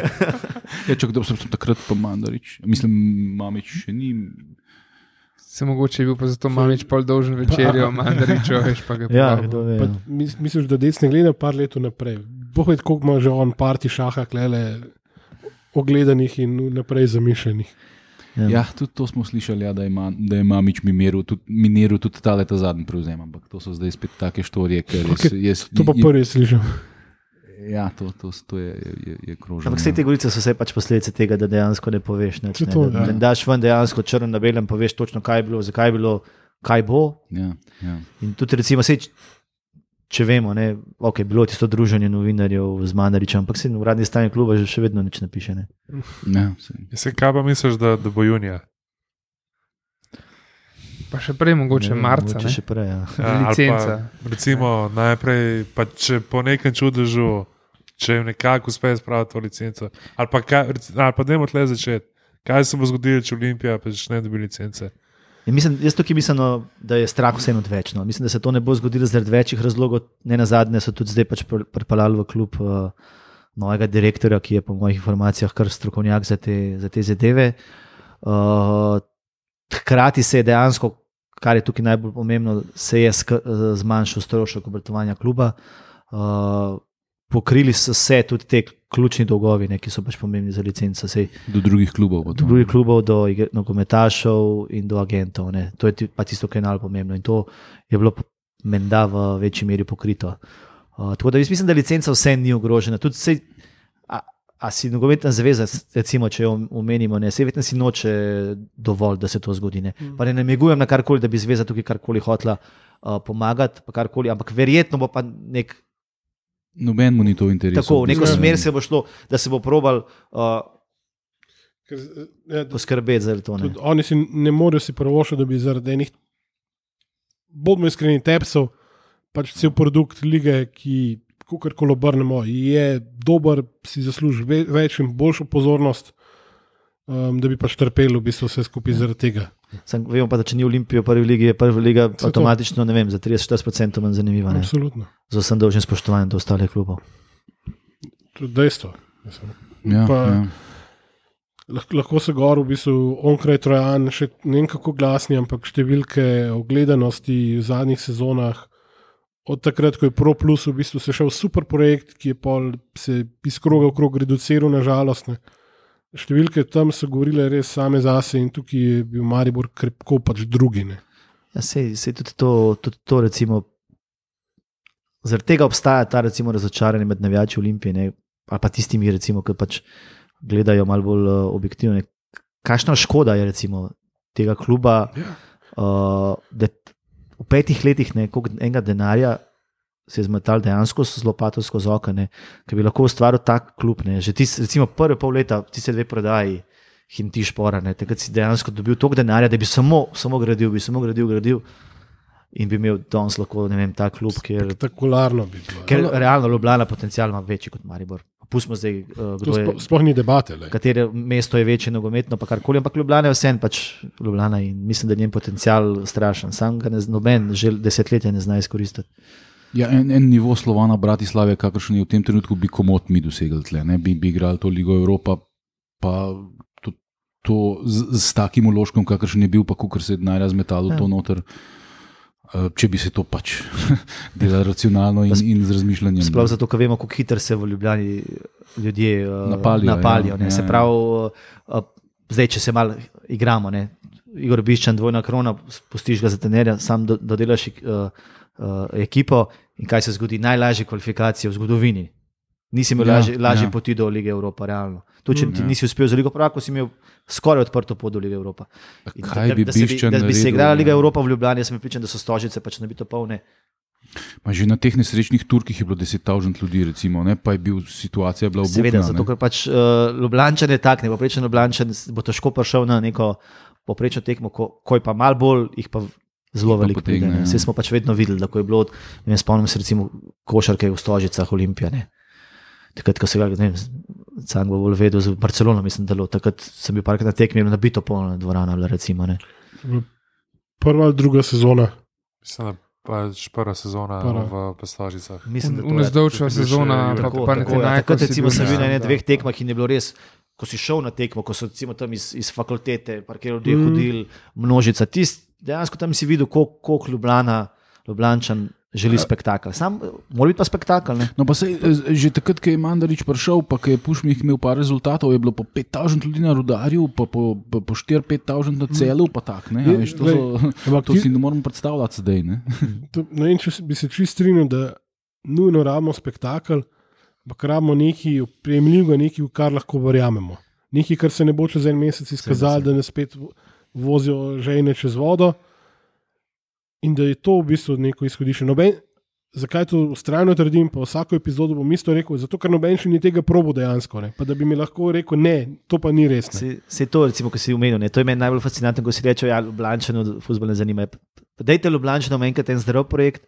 Ja, čak, da sem takrat pa Mandarić. Mislim, Mamić še ni. Se mogoče je bil pa zato Mamić pol dolžen večerjo, Mandarićo, veš pa ga Ja, povabil. kdo ve. Pa, no. mis, misliš, da dec ne gleda par let naprej. Boh ve, koliko ima že on parti šaha klele ogledanih in naprej zamišljenih. Ja. Ja, tudi to smo slišali, ja, da, je ma, da je Mamić miniral tudi, miniral tudi ta leta zadnji prevzem, ampak to so zdaj spet take štorije, ker Okay, je, je, To pa prvi slišal. Ja, to, to, to je, je, je krožno. Ampak vse te govorice so vse pač posledice tega, da dejansko ne poveš. Neč, Saj ne, to, da, ja. da daš ven dejansko črn na belem, poveš točno, kaj je bilo, zakaj je bilo, kaj bo. Ja, ja. In tudi recimo, sej, če vemo, ne, ok, bilo je tisto druženje novinarjev z Mandarićem, ampak se v uradni strani kluba že še vedno nič ne piše. Ne. Ja, sej. Se kaj pa misliš, da, da bo junija? Pa še prej mogoče Ne vem, marca, mogoče ne? še prej, ja. Ja, ali Licenca. Pa, recimo, najprej, pa če po nekem čudežu če jim nekako uspe spraviti to licenco. Ali pa, kaj, ali pa dajmo tle začeti. Kaj se bo zgodilo, če Olimpija pa začne dobiti licence? Ja, mislim, jaz tukaj mislim, no, da je strah vseeno odvečno. Mislim, da se to ne bo zgodilo zaradi večjih razlogov. Ne nazadnje so tudi zdaj pač pripeljali v klub uh, novega direktorja, ki je po mojih informacijah kar strokovnjak za te, za te zadeve. Uh, hkrati se je dejansko, kar je tukaj najbolj pomembno, se je sk- zmanjšal strošek obratovanja kluba. Uh, pokrili so se tudi te ključni dolgovi, ne, ki so pač pomembni za licenco. Sej, do drugih klubov. Do drugih klubov, do nogometašev in do agentov. Ne. To je pa tisto, kar je najbolj pomembno. In to je bilo menda v večji meri pokrito. Uh, tako da jaz mislim, da licenca vse ni ogrožena. Tudi sej, a, a si nogometna zveza, recimo, če jo omenimo, ne, sej vedno si noče dovolj, da se to zgodi. Ne. Mm. Pa ne namigujem na karkoli, da bi zveza tukaj karkoli hotla uh, pomagati, pa karkoli, ampak verjetno bo pa nek noben mu ni to interesu. Tako, v neko smer se bo šlo, da se bo probal uh, Ker, ja, poskrbeti za to. Ne. Oni si ne morejo si prvošati, da bi zaradi enih, bodimo iskreni, tepsov, pač cel produkt lige, ki, kakorkoli obrnemo, je dober, si zasluži ve, več in boljšo pozornost, um, da bi pač trpeli v bistvu vse skupaj zaradi tega. Sam, vemo pa, da če ni Olimpije v prvi ligi, je prva liga avtomatično, ne vem, za trideset do štirideset procentov manj zanimiva. Ne? Absolutno. Z vsem dolžnim spoštovanjem do ostalih klubov. To je dejstvo. Ja, pa, ja. Lahko, lahko se gor v bistvu onkraj Trojan, še ne vem kako glasni, ampak številke ogledanosti v zadnjih sezonah, od takrat, ko je Pro Plus v bistvu se šel super projekt, ki je pol se iz kroga v krog reduciral na žalostne. Številke tam so govorile res same zase in tukaj je bil Maribor krepko pač drugi. Ne. Ja, sej, sej tudi to, tudi to recimo, zaradi tega obstaja ta recimo razočaranje med navijači Olimpije, ne, ali pa tistimi recimo, ki pač gledajo malo bolj uh, objektivno. Kakšna škoda je recimo tega kluba, Ja. uh, da v petih letih ne, koliko enega denarja se je zmetal dejansko zelo patovsko z oka, ki bi lahko ustvaril tak klub. Ne. Že ti, recimo prve pol leta, ti se dve prodaji, Hinti Špora, ne, takrat si dejansko dobil toliko denarja, da bi samo, samo gradil, bi samo gradil, gradil in bi imel danes lahko, ne vem, ta klub, kjer, Spektakularno bi bilo. ker realno Ljubljana potencial ima večji kot Maribor. Pustimo zdaj, uh, To kdo je, sploh, sploh ni debate. Le. katere mesto je večje nogometno, pa karkoli, ampak Ljubljana je vsem pač Ljubljana in mislim, da je njen potencial strašen. Sam ga ne, noben že desetletja ne zna izkoristiti. Ja, en, en nivo Slovana Bratislave, kakršen je v tem trenutku, bi komot mi dosegli tle, ne? Bi, bi igrali to Ligo Evropa, pa to, to z, z takim uložkom, kakršen je bil, pa kukor se je denarja zmetalo Ja. to noter, uh, če bi se to pač delalo racionalno in, in z razmišljanjem. Sploh zato, ker vemo, kako hitro se v Ljubljani ljudje uh, Napalijo, napalijo. ja. Ja, se Ja, pravi, uh, zdaj, če se malo igramo, ne? Igor Biščan, dvojna krona, spustiš ga za trenerja, sam do, dodelaš uh, uh, ekipo in kaj se zgodi? Najlažje kvalifikacije v zgodovini. Nisi imel Ja, lažje, lažje ja. poti do Lige Evropa, realno. Tu, če Mm, ti ja. nisi uspel za Ligo prvakov, si imel skoraj odprto pot do Lige Evropa. In Kaj da, bi da, se bi, Biščan da bi se naredil, igrala Liga ja. Evropa v Ljubljani, jaz sem pripričan, da so stožice pač ne bi to polne. Ma že na teh nesrečnih Turkih je bilo deset tisoč ljudi, recimo, ne? Pa je bil, situacija bila obupna. Seveda, zato ne. ker pač uh, Ljubljančan je tak, ne poprečen Ljubljančan bo težko prišel na neko poprečno tekmo, ko, ko je pa mal bolj, jih pa zelo Jih pa veliko potegne, pride. ja. Vse smo pač vedno videli, da ko je bilo, ne vem, spomnim se recimo košarke v Stožicah Olimpija, ne. Takrat, ko se ga, ne vem, sam bo bolj vedel, z Barcelono mislim, da bilo, takrat sem bil parkrat na tekmi, nabito polna dvorana, bila, recimo, ne. Prva ali druga sezona. Mislim, da pač prva sezona Prva. v Pestožicah. Mislim, da to je- Unezdolčeva to je sezona, še- pa Tako, pa tako, ja. Netenaj, Takrat ko si recimo bil sem bil na na- ene dveh tekmah in je bilo res, ko si šel na tekmo, ko so recimo tam iz, iz fakultete, parkirali ljudje, Mm. hodili, množica, tist, dejansko tam si videl, koliko koliko Ljubljana, Ljubljančan želi spektakel. Sam, mora biti pa spektakel, ne? No, pa sej, eh, že takrat, ko je Mandarič prišel, pa ko je Pušmih imel par rezultatov, je bilo po pet tisoč ljudi na Rudarju, pa po, po, po štiri do pet tisoč na Celu, pa tak, ne, Je, a veš, to, glej, so, ampak to ti- si ne moremo predstavljati zdaj, ne. To, ne vem, če se- bi se čist strinjal, da nujno rabimo spektakel, ampak rabimo nekaj prejemljivega, nekaj, v kar lahko verjamemo. Nekaj, kar se ne bo čez en mesec izkazalo, da nas spet vo- vozijo žejne čez vodo in da je to v bistvu neko izhodišče. Noben, zakaj to vztrajno trdim, pa vsako epizodo bom isto rekel, zato ker noben še ni tega probo dejansko, ne? Pa da bi mi lahko rekel, ne, to pa ni res. Ne? Se, se to, recimo, ko si umenil, ne? To je meni najbolj fascinantno, ko si reče, ja, Ljubljančano fuzbol ne zanima. Pa dajte Ljubljančanom enkrat en zdrav projekt,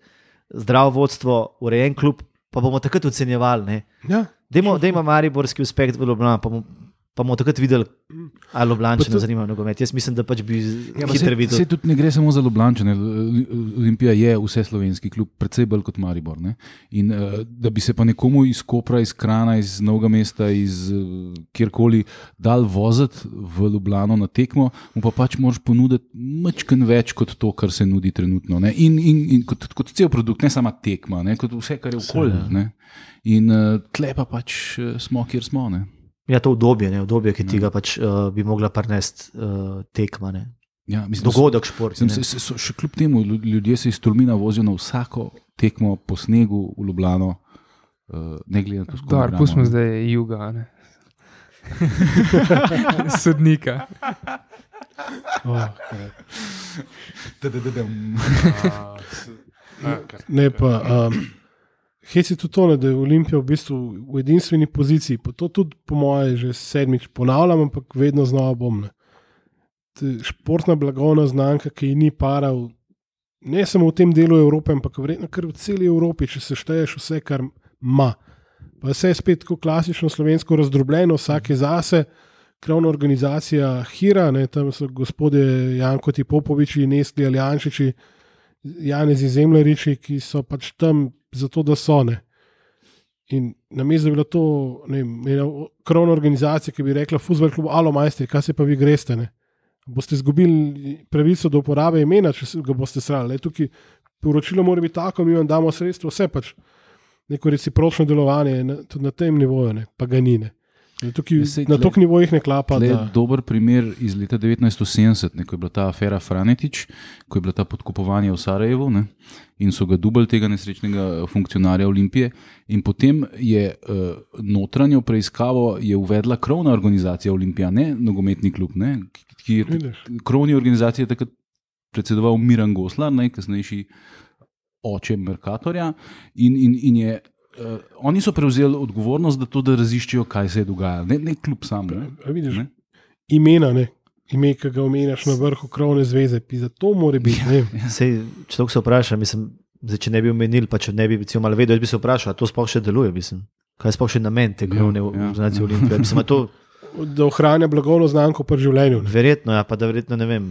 zdravo vodstvo, urejen klub, pa bomo takrat ocenjevali, ne? Ja, Dajmo, dajmo mariborski uspeh v Ljubljani, pa, pa bomo takrat videli, ali Ljubljančane zanima nogomet. Jaz mislim, da pač bi ja, hitro videl. Se tudi ne gre samo za Ljubljančane. Olimpija je vse slovenski klub, predvsej bolj kot Maribor. Ne? In da bi se pa nekomu iz Kopra, iz Krana, iz Novega mesta, iz kjerkoli dal voziti v Ljubljano na tekmo, mu pa pač moraš ponuditi mačken več kot to, kar se nudi trenutno. Ne? In, in, in kot, kot cel produkt, ne sama tekma, ne? Kot vse, kar je okolje. In tle pa pač smo, kjer smo. Ne? Ja, to obdobje, ne, obdobje, ki ti ga pač uh, bi mogla prinesti uh, tekma, ne. Ja, mislim, dogodek šport. Še kljub temu, ljudje se iz Tolmina vozijo na vsako tekmo po snegu v Ljubljano, uh, ne glede na to, kako je. Pustimo zdaj juga, ne. Sodnika. Oh, ne pa... Um, Hec je tudi to, da je Olimpija v bistvu v edinstveni poziciji. Pa to tudi, po moje, že sedmič ponavljam, ampak vedno znova bom. Ne. Športna blagovna znamka, ki ji ni para, v, ne samo v tem delu Evrope, ampak verjetno kar v celi Evropi, če se šteješ vse, kar ima. Pa vse je spet tako klasično slovensko razdrobljeno, vsak je zase, krovna organizacija Hira, ne, tam so gospodje Janko Popoviči, Nestli Aljančiči, Janezi Zemljariči, ki so pač tam zato, da so ne. In na mestu je bila to ne, krovna organizacija, ki bi rekla fuzbol klub, alo majstri, kaj se pa vi greste, ne? Boste izgubili pravico do uporabe imena, če ga boste srali. Tukaj poročilo mora biti tako, mi vam damo sredstvo, vse pač neko recipročno delovanje na, tudi na tem nivoju, ne, pa ga ni, ne. Tukaj, na tok nivojih ne klapa. To je dober primer iz leta devetnajststo sedemdeset, ne, ko je bila ta afera Franetič, ko je bila ta podkupovanje v Sarajevu, ne, in so ga dubali tega nesrečnega funkcionarja Olimpije. In potem je uh, notranjo preiskavo je uvedla krovna organizacija Olimpija, ne nogometni klub, ne, ki je krovni organizaciji takrat predsedoval Miran Goslar, ne, kasnejši oče Mercatorja, in, in, in je Uh, oni so prevzeli odgovornost, da to, da raziščijo, kaj se je dogajalo. Ne, ne kljub sam. Ne? Vidiš, ne? Imena, ne? Ime, ki ga omenjaš na vrhu krovne zveze, za to mora biti. Ja, ja. Sej, če to se vpraša, mislim, zdaj, če ne bi omenili, pa če ne bi bil malo vedel, jaz bi se vprašal, a to sploh še deluje, mislim. Kaj je sploh še namen te krovne ja, organizacije ja. Olimpije? Mislim, to... Da ohranja blagovno znamko pri življenju. Ne? Verjetno, ja, pa da verjetno, ne vem,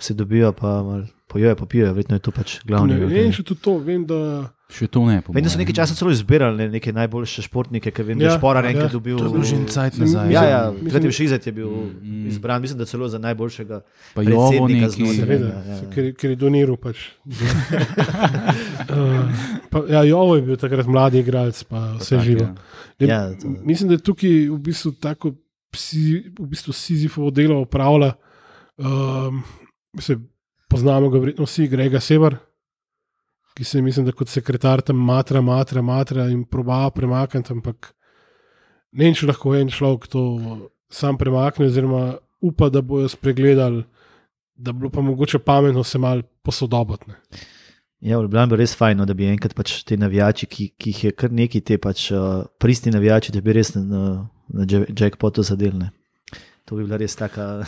se dobijo, pa mal pojojo, pa pijo, verjetno je to pač glavni. Ne, vem še tudi to, vem, da... Še to ne. Vem, da so nekaj časa celo izbirali ne, neke najboljše športnike, ki vem, da ja, je Šporar enkrat ja. dobil. To je bil že en cajt nazaj. Ja, ja, Krativ Šizet je bil mm, izbran, mislim, da celo za najboljšega pa predsednika znotraj. Ja, ja. Ker, ker je doniral pač. uh, pa, ja, Jovo je bil takrat mladi igralec, pa vse pa živo. Ja. Ja, to... Mislim, da je tukaj v bistvu tako psi, v bistvu Sizifovo delo opravlja. Um, mislim, poznamo ga verjetno vsi, Grega Sever, ki se mislim, da kot sekretar tam matra, matra, matra in proba premakniti, ampak ne vem, če lahko en človek to sam premakne, oziroma upa, da bojo spregledali, da bilo pa mogoče pametno se malo posodobiti. Ja, v Ljubljani bi res fajno, da bi enkrat pač te navijači, ki, ki jih je kar neki te pač uh, pristni navijači, da bi res na, na jackpotu zadelne. To bi bila res taka...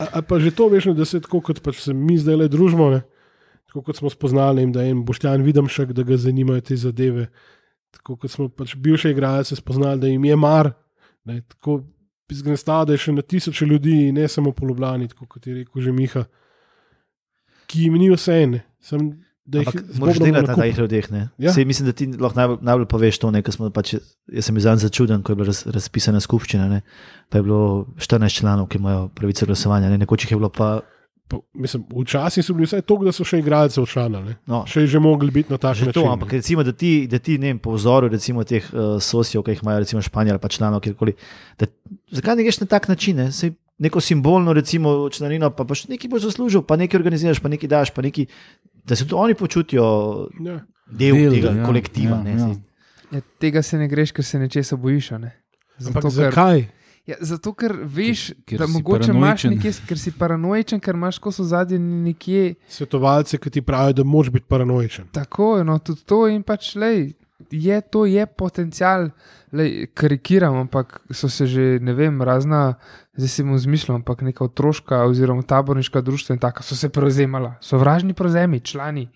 a, a pa že to veš, da se tako, kot pač se mi zdaj le družimo, ne? Tako kot smo spoznali, da je en Boštjan Videmšek, da ga zanimajo te zadeve. Tako kot smo pač bivše igralce spoznali, da jim je mar. Ne, tako izgnestava, da je še na tisoče ljudi, ne samo po Ljubljani, tako kot je rekel že Miha, ki jim ni vse ene. Sam, da jih moraš delati na tajih ljudeh. Ja? Sej, mislim, da ti lahko najbolj, najbolj poveš to, ne, smo pač, jaz sem izdan začuden, ko je bila raz, razpisana skupščina, ne, pa je bilo štirinajst članov, ki imajo pravico glasovanja, ne, nekoč jih je bilo pa Pa, mislim, včasih so bili vsaj toliko, da so še igralce odšanali. No. Še je že mogli biti na takšen način. To, ampak recimo, da ti, da ti ne vem, po vzoru recimo teh uh, sosijev, ki jih imajo recimo Španija ali pa članov, kjerkoli, da, zakaj ne greš na tak način, ne? Sej neko simbolno recimo članino, pa pač nekaj boš zaslužil, pa nekaj organiziraš, pa nekaj daš, pa nekaj, da se tudi oni počutijo ja. del, del tega ja, kolektiva. Ja, ne, ja. Ja, tega se ne greš, ker se nečesa bojiš. Ne? Zato, ampak zakaj? Ker... Ja, zato, ker veš, ker, ker da mogoče imaš nekje, ker si paranoičen, ker imaš ko so zadnje nekje... Svetovalce, ki ti pravijo, da moraš biti paranoičen. Tako je, no, tudi to in pač, lej, je, to je potencial, lej, karikiram, ampak so se že, ne vem, razna, zdaj si mu zmišljam, ampak neka otroška oziroma taborniška društva in taka so se prevzemala. Sovražni prevzemi, člani.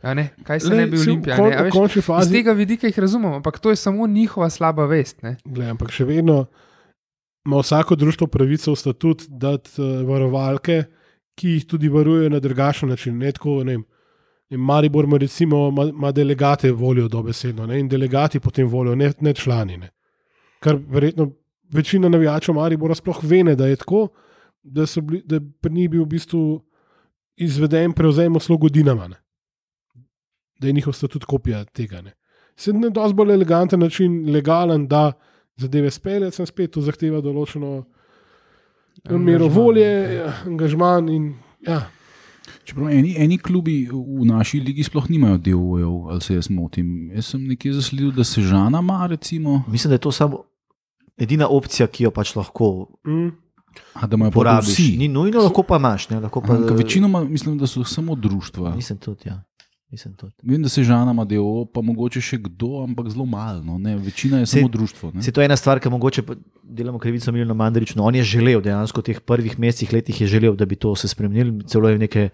Ja, ne, kaj se Le, ne bi si v Olimpija? kon- Ne, a v veš, končni iz fazi- tega vidika jih razumem, ampak to je samo njihova slaba vest. Ne? Glej, ampak še vedno ima vsako društvo pravico v statut dati uh, varovalke, ki jih tudi varujejo na drugačen način. Ne tako, ne vem, ne, Maribor ima, recimo, ima, ima delegate volijo dobesedno ne, in delegati potem volijo, ne, ne člani. Ne. Kar verjetno večina navijačev Maribora sploh ve, ne, da je tako, da, so bili, da pri njih bil v bistvu izveden prevzem uslugo Dinama. Ne. Da je njihov statut kopija tega. Ne. Se na dosti bolj eleganten način, legalen, da zadeve speljati, sem spet to zahteva določeno mero volje, angažman in ja. Čeprav eni, eni klubi v naši ligi sploh nimajo D O O-jev, ali se jaz motim. Jaz sem nekje zasledil, da se Žana ima, recimo. Mislim, da je to samo edina opcija, ki jo pač lahko Mm. A, da imajo pa porabiš. vsi. Ni nujno, lahko pa imaš. Ne, lahko pa, Ampak večinoma mislim, da so samo društva. Mislim tudi, ja. Mislim tudi. Vem, da se Žana ima D O O, pa mogoče še kdo, ampak zelo malo. No, ne, večina je Se- samo društvo. Ne. Se to je ena stvar, ki mogoče pa delamo krivico Milanu Mandariču. No, on je želel, dejansko v teh prvih mesecih, letih je želel, da bi to se spremenili. Celo je neke,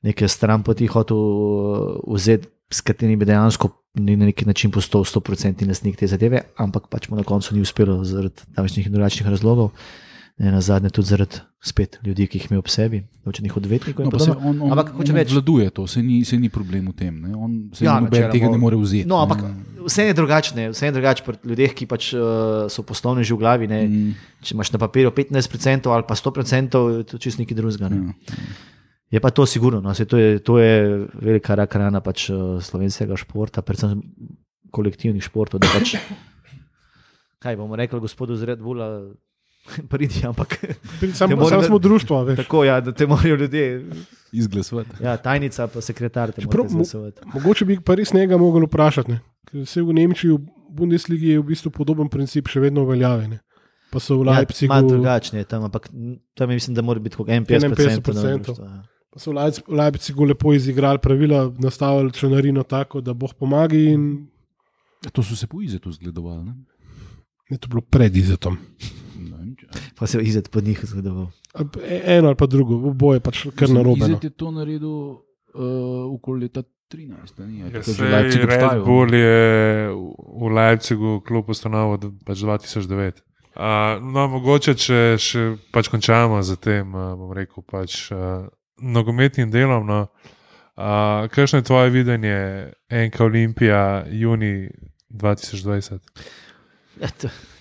neke stran poti hotel uh, vzeti, s katerimi bi dejansko ni na neki način postal sto procentni lastnik te zadeve, ampak pač mu na koncu ni uspelo zaradi tamajšnjih in drugačnih razlogov. Ne, na zadnje tudi zaradi spet ljudi, ki jih ima ob sebi, določenih odvetnikov. No, in pa se podobno. on, on, Ampak hočem on reči- obvladuje to, se ni, se ni problem v tem. Ne. On se Ja, ja, načeloma- tega ne more vzeti. No, ampak ne. vse je drugačne, vse je drugače pri ljudeh, ki pač uh, so poslovni že v glavi. Ne. Mm, Če imaš na papirju petnajst procentov ali pa sto procentov, je to čisto nekaj drugega. Ne. ja. Je pa to sigurno, no, saj to, je, to je velika rak rana pač, uh, slovenskega športa, predvsem kolektivnih športov. da Pač, kaj bomo rekli, gospodu z Red Bulla, pridi, ampak Samo moram- sam smo društvo, veš. tako, ja, da te morajo ljudje, Izglasovati. ja, tajnica pa sekretar te Čeprav morajo mo- izglasovati. Mogoče bi pa res njega mogli vprašati. Ne? Ker se v Nemčiji, v Bundesligi je v bistvu podoben princip še vedno uveljavljen. Pa so v Ja, Leipzigu, malo drugačne je tam, ampak tam je, mislim, da mora biti kot enainpetdeset procentov. enainpetdeset pa so v Leipz- v Leipzigu lepo izigrali pravila, nastavili članarino tako, da boh pomaga in To so se po Izetu zgledovali. Ne? je to bilo pred izetom. Ne vem, če- Pa se je izid pod njih zgledoval. Ali pa e- Eno ali pa drugo, oboje pač kar Mislim, narobe. No. Izet je to naredil uh, okoli leta trinajst. a ni? Je Ja, takrat že sej Leipzig Red obstajal. Bull je v- v Leipzigu klub ustanovil d- pač dva tisoč devet. Uh, no, mogoče, če še pač končamo z tem, uh, bom rekel, pač uh, nogometnim delom. No, uh, kakšno je tvoje videnje Enka Olimpija juni dva tisoč dvajset?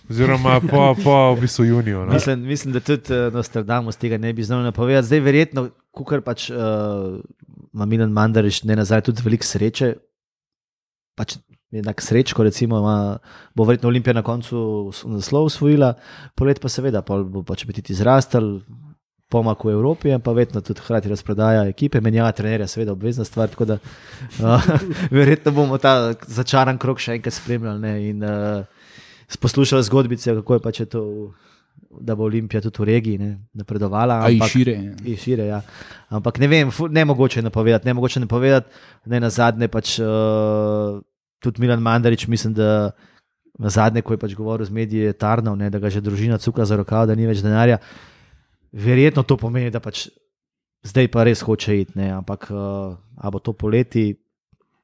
Oziroma po, po v bistvu juniju. No? Mislim, mislim, da tudi uh, Nostradamus tega ne bi znal napovedati. Zdaj, verjetno, kukar pač uh, ima Milan Mandarič, ne nazaj, tudi veliko sreče. Pač enak srečko, recimo, ima, bo verjetno Olimpija na koncu s- naslov osvojila, polet pa seveda, pol bo pač apetiti zrastel, pomak v Evropi, pa vedno tudi hkrati razprodaja ekipe, menjava trenerja, seveda obvezna stvar, tako da uh, verjetno bomo ta začaran krok še enkrat spremljali ne, in uh, poslušali zgodbice, kako je pač je to, da bo Olimpija tudi v regiji ne, napredovala. A in ampak- šire. in šire, ja. Ampak ne vem, fu- ne mogoče napovedati, ne mogoče napovedati, ne na zadnje pač uh, tudi Milan Mandarič, mislim, da na zadnje, ko je pač govoril z mediji, je tarnal, ne, da ga že družina cuka za rokav, da ni več denarja. Verjetno to pomeni, da pač zdaj pa res hoče iti, ne, ampak uh, a bo to poleti,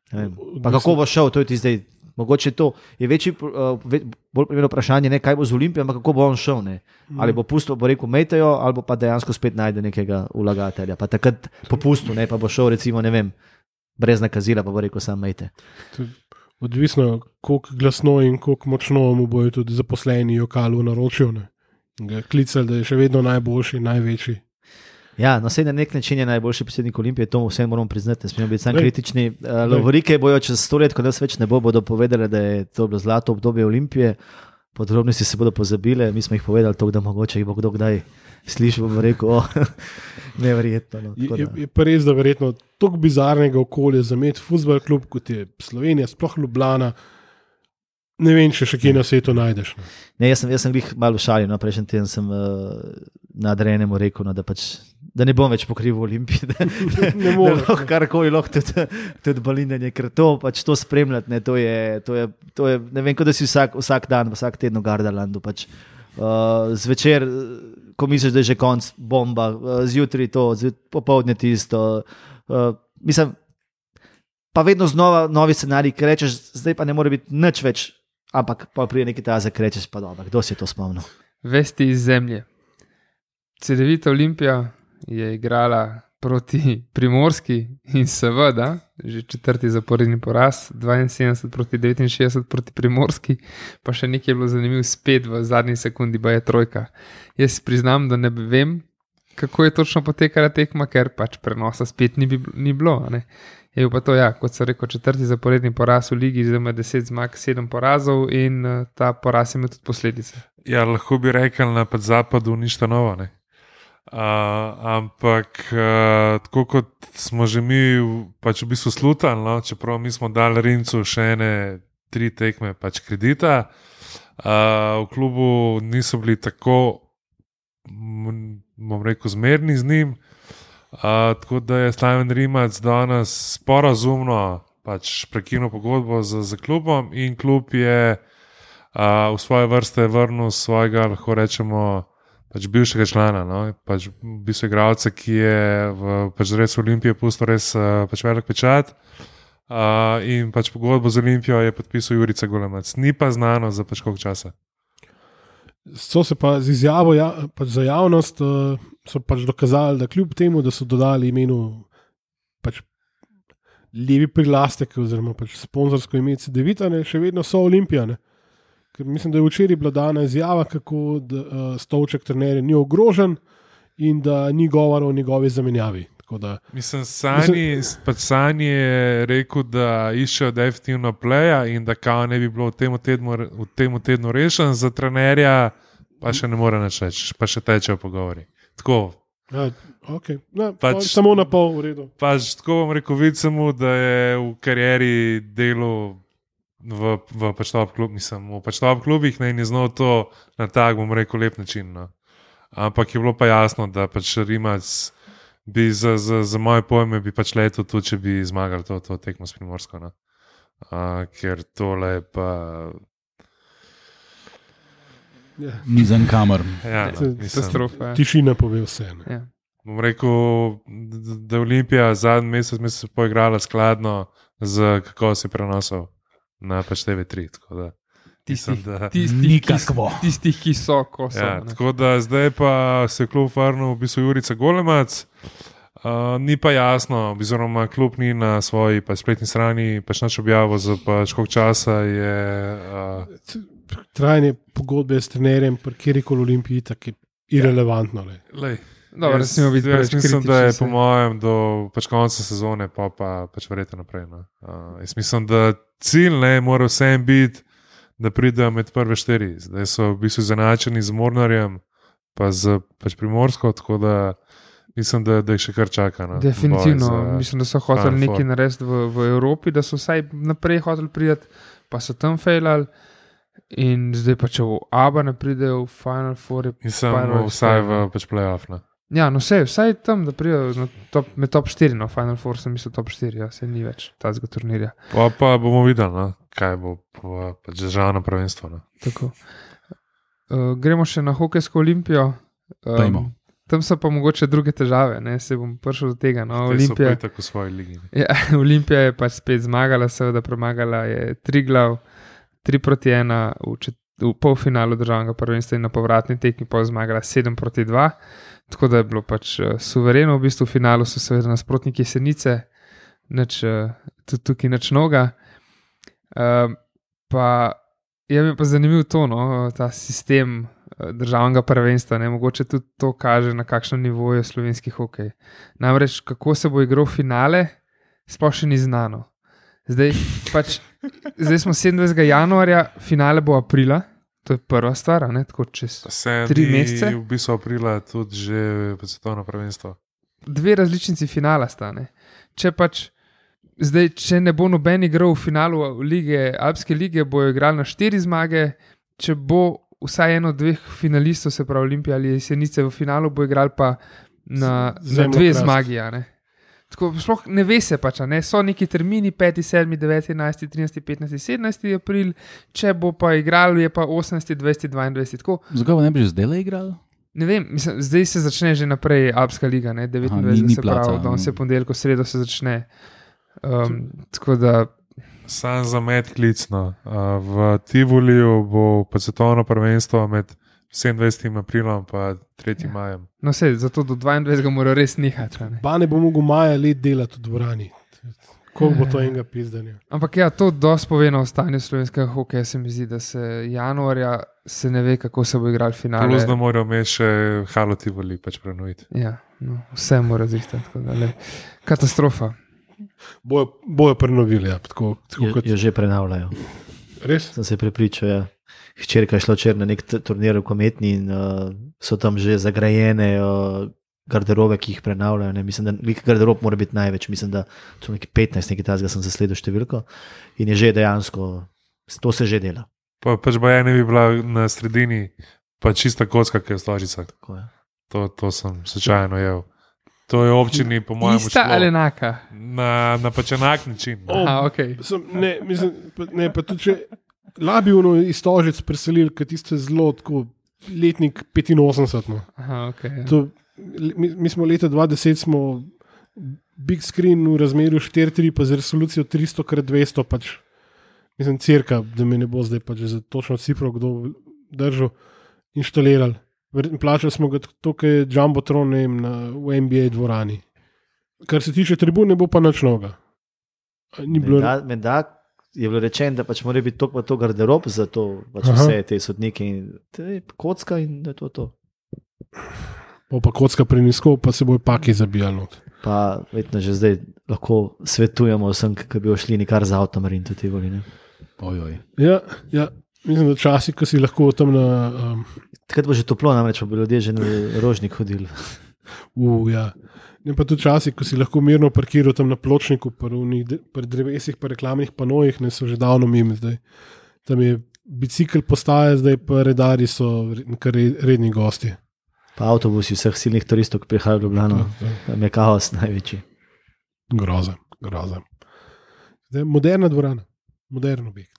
ne vem. Pa kako bo šel, to je ti zdaj. Mogoče to je večji, uh, ve, bolj primerno vprašanje, ne kaj bo z Olimpijo, ampak kako bo on šel. Ne? Ali bo pustil, bo rekel, mejtejo, ali pa dejansko spet najde nekega vlagatelja. Pa takrat popustil, ne pa bo šel, recimo, ne vem, brez nakazila, pa bo rekel, sam mejte. Odvisno, koliko glasno in koliko močno mu bojo tudi zaposleni jokalu naročil. Ne? Ga klicali, da je še vedno najboljši, največji. Ja, no, sej na nek način je najboljši predsednik Olimpije, to vse moramo priznati, ne smemo biti samo Lej. kritični. Uh, Lovorike bojo čez sto let, ko nas več ne bo, bodo povedali, da je to bilo zlato obdobje Olimpije, podrobnosti se bodo pozabile, mi smo jih povedali, to, da mogoče jih bo kdo kdaj slišal, bo rekel, oh, neverjetno. No, Je, tako je, da. je pa res, da verjetno tako bizarnega okolja za imeti futbol klub, kot je Slovenija, sploh Ljubljana. Ne vem, če še kje na svetu najdeš. No. Ne, jaz sem, jaz sem jih malo šalil, no, prejšnji teden sem uh, nadrejenemu rekel, no, da, pač, da ne bom več pokrival Olimpije, da, da, da moreš, lahko karkoli lahko tudi, tudi balinanje, ker to, pač, to spremljati, ne, to, je, to, je, to je, ne vem, kot da si vsak, vsak dan, vsak teden v Gardalandu. Pač, uh, zvečer, ko misliš, da je že konc, bomba, uh, zjutraj to, zjut, popovdne tisto. Uh, mislim, pa vedno znova novi scenarij, ki rečeš, zdaj pa ne more biti nič več, ampak pa prije nekaj tega, ki rečeš, pa dobro, kdo si je to spomnil. Vesti iz zemlje. Cedevita Olimpija je igrala proti Primorski in seveda, že četrti zaporedni poraz, dvainsedemdeset proti devetinšestdeset proti Primorski, pa še nekaj je bilo zanimivo, spet v zadnji sekundi, ba je trojka. Jaz priznam, da ne vem, kako je točno potekala tekma, ker pač prenosa spet ni, bi, ni bilo. Ne? Je pa to, ja, kot so rekel, četrti zaporedni poraz v ligi, zdaj ima deset zmag, sedem porazov in uh, ta poraz ima tudi posledice. Ja, lahko bi rekel, na zapadu ništa novo, ne. Uh, ampak uh, tako kot smo že mi pač v bistvu slutali, no, čeprav mi smo dali Rimcu še ene tri tekme pač kredita, uh, v klubu niso bili tako, bom rekel, zmerni z njim, uh, tako da je Slaven Rimac danes sporazumno pač prekinil pogodbo z, z klubom in klub je uh, v svoje vrste vrnil svojega, lahko rečemo, pač bivšega člana, no? Pač v bistvu igralca, ki je v pač res Olimpije pustil res uh, pač velik pečat uh, in pač pogodbo z Olimpijo je podpisal Jurica Golemac. Ni pa znano za pač koliko časa. So se pa z izjavo ja, pač za javnost uh, so pač dokazali, da kljub temu, da so dodali imenu pač levi prilastek oziroma pač sponzorsko ime Cedevita, še vedno so Olimpijane. Ker mislim, da je včeraj bila dana izjava, kako da, uh, stolček trenerja ni ogrožen in da ni govora o njegovi zamenjavi. Da, mislim, Sani, mislim, pač Sani je rekel, da iščejo definitivno pleja in da kao ne bi bilo v tem tednu, v tem tednu rešen za trenerja, pa še ne more nič reči, pa še tečejo pogovori. Tako. Ja, okay. no, pač, samo na pol v redu. Pač tako bom rekel, vidim mu, da je v karieri delu v, v pač top klub, mislim, v pač top klubih, ne, in je znal to na tak, bom rekel, lep način. No. Ampak je bilo pa jasno, da pač Rimac bi za, za, za moje pojme bi pač letel tudi, če bi zmagali to, to tekmo s Primorsko. No. Uh, ker tole je pa... Yeah. Nizem kamer. Ja, no, Katastrofa. Tišina pove vse. Ja. Bom rekel, da je Olimpija zadnji mesec, mesec poigrala skladno z kako si prenosov na pač T V tri. Tistih, da... tistih, tistih, ki so, ko so. Ja, tako da zdaj pa se je klub vrnil v bistvu Jurica Golemac. Uh, ni pa jasno, oziroma klub ni na svoji pa spletni strani pač nič objavil za pač koliko časa je... Uh... Trajanje pogodbe s trenerjem pri kjerikoli Olimpiji tako je irelevantno. Lej. Lej. Dobro, jaz jaz mislim, da je po mojem do pač konca sezone pa, pa pač verjete naprej. No. Uh, jaz mislim, da cilj ne mora vsem biti, da pridejo med prve štiri. Zdaj so v bistvu zanačeni z Mornarjem pa z pač Primorsko, tako da mislim, da, da jih še kar čaka. No. Definitivno. Mislim, da so hoteli nekaj narediti v, v Evropi, da so vsaj naprej hoteli priti, pa so tam fejlali. In zdaj pa če v Aba ne pridejo v Final Four, mislim, vsaj v pač playoff. Ne? Ja, no vse, vsaj tam, da pridejo top, med top štiri, no Final Four sem mislil top štiri, ja, se ni več tazga turnirja. Pa, pa bomo videli, no, kaj bo pač državno prvenstvo. No. Tako. Uh, gremo še na hokejsko Olimpijo. Um, tam so pa mogoče druge težave, ne, se bom prišel do tega. No, Olimpija, so tako v svoji ligi. Ja, Olimpija je pač spet zmagala, seveda premagala je Triglav, tri proti ena v, čet, v polfinalu državnega prvenstva in na povratni tekmi pa zmagala sedem proti dva, tako da je bilo pač uh, suvereno, v bistvu v finalu so seveda nasprotniki Jesenice, nič, uh, tudi tukaj nič noga. Uh, pa je mi pa zanimiv to, no, ta sistem uh, državnega prvenstva, ne, mogoče tudi to kaže, na kakšnem nivoju je slovenski hokej. Namreč, kako se bo igral finale, sploh še ni znano. Zdaj, pač, zdaj smo sedemindvajsetega januarja, finale bo aprila, to je prva stvar, ne, tako čez tri mesece. V bistvu aprila tudi že svetovno prvenstvo. Dve različnici finala sta, ne. Če pač, zdaj, če ne bo noben igral v finalu lige, Alpske lige, bojo igrali na štiri zmage, če bo vsaj eno od dveh finalistov, se pravi Olimpija ali Jesenice v finalu, bo igrali pa na, na dve zmagi, ja, ne. Tako, sploh ne ve se pač, ne? So neki termini peti, sedmi, deveti, enajsti, trinajsti, petnajsti, sedemnajsti april, če bo pa igral, je pa osemnajsti, dvajseti, dvaindvajseti. Zakaj ne bi že zdaj igral? Ne vem, mislim, zdaj se začne že naprej Alpska liga, ne? devetindvajseti, se pravi, danes je ponedeljek, sredo se začne. Um, tako da. Sam za med klicno. V Tivoliju bo pa svetovno prvenstvo med sedemindvajsetim aprilom in tretjim Ja. majem. No, sej, zato do dvaindvajsetega mora res nehati. a ne. Pa ne bo mogel maja let delati v dvorani. Koliko bo to enega pizdanja? Ampak ja, to dosti pove na stanju slovenskega hokeja, se mi zdi, da se januarja se ne ve, kako se bo igral finale. Plus, da morajo imeti še Halo Tivoli pač prenoviti. Ja, no, vse mora zihtati. tako da, glej. Katastrofa. Bojo, bojo prenovili, ja, tako, tako Jo, kot jo že prenavljajo. res. Sem se prepričal. Ja. Hčerka je šla včeraj na nek t- turnir v Kometni in uh, so tam že zagrajene uh, garderobe, ki jih prenavljajo. Ne. Mislim, da lik garderob mora biti največ. Mislim, da so neki petnajst, nekaj tasga sem zasledil številko. In je že dejansko, to se že dela. Pa, pač bo ena bi bila na sredini, pa čista kocka, ki je v stožicah. Tako je. To, to sem slučajno jedel. To je občini, po mojem, Ista ali enaka? na, na pač enak način. O, Aha, okay. Sem, ne, mislim, pa, ne, pa tudi če labivno iz Stožic preselili, ker tiste zelo tako letnik petinosemdeset. No. Aha, okay, ja. To, mi, mi smo leta dva tisoč deset smo big screen v razmerju štiri tri, pa z resolucijo tristo krat dvesto, pač, mislim, cirka, da mi ne bo zdaj pač za točno cifro kdo držal, inštalirali. Verjetno plačali smo ga to, kar je Jumbotron ne vem, na, v N B A dvorani. Kar se tiče tribune, bo pa nič novega. Ni bilo Menda, menda je bilo rečeno, da pač mora biti to, pa to garderob za to, pač Aha. vse te sodnike in te kocka in da je to to. bo pa kocka prenisko, pa se bojo paki zabijali. not. Pa vedno že zdaj lahko svetujemo vsem, ki bi šli nikar z avtom in tudi voli. Ne? Ojoj. Ja, ja, mislim, da časi, ko si lahko tam na. Um, Takrat bo že toplo, namreč pa bi ljudje že na rožnik hodili. uh, ja. Ne pa tudi časi, ko si lahko mirno parkiral tam na pločniku, pri drevesih, pri reklamnih panojih, ne so že davno mimo zdaj. Tam je bicikl postaje, zdaj pa redari so kar redni gosti. Pa avtobusi vseh silnih turistov, ki prihajajo v Ljubljano, tam je kaos največji. Groza, groza. Zdaj, moderna dvorana, modern objekt.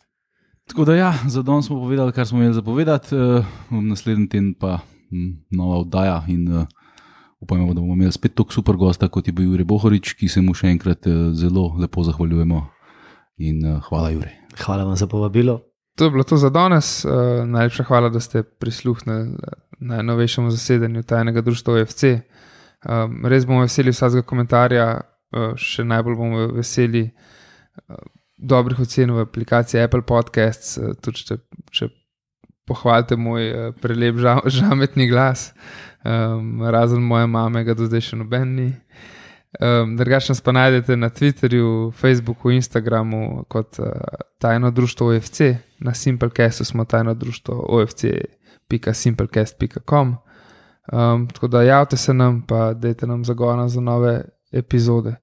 Tako da ja, za danes smo povedali, kar smo imeli zapovedati, uh, naslednji teden pa m, nova oddaja in uh, upajmo, da bomo imeli spet tako super gosta, kot je bil Jure Bohorič, ki se mu še enkrat uh, zelo lepo zahvaljujemo in uh, hvala Jure. Hvala vam za povabilo. To je bilo to za danes. Uh, najlepša hvala, da ste prisluhnili najnovejšemu zasedanju tajnega društva O F C. Um, res bomo veseli vsakega komentarja, uh, še najbolj bomo veseli uh, dobrih ocen v aplikaciji Apple Podcasts, uh, tudi če, če pohvalite moj uh, prelep ža, žametni glas, um, razen moje mame, ga do zdaj še noben ni. Um, Drugače nas pa najdete na Twitterju, Facebooku, Instagramu kot uh, tajno društvo O F C, na Simplecastu smo tajno društvo O F C pika simplecast pika com. Um, tako da javite se nam, pa dajte nam zagona za nove epizode.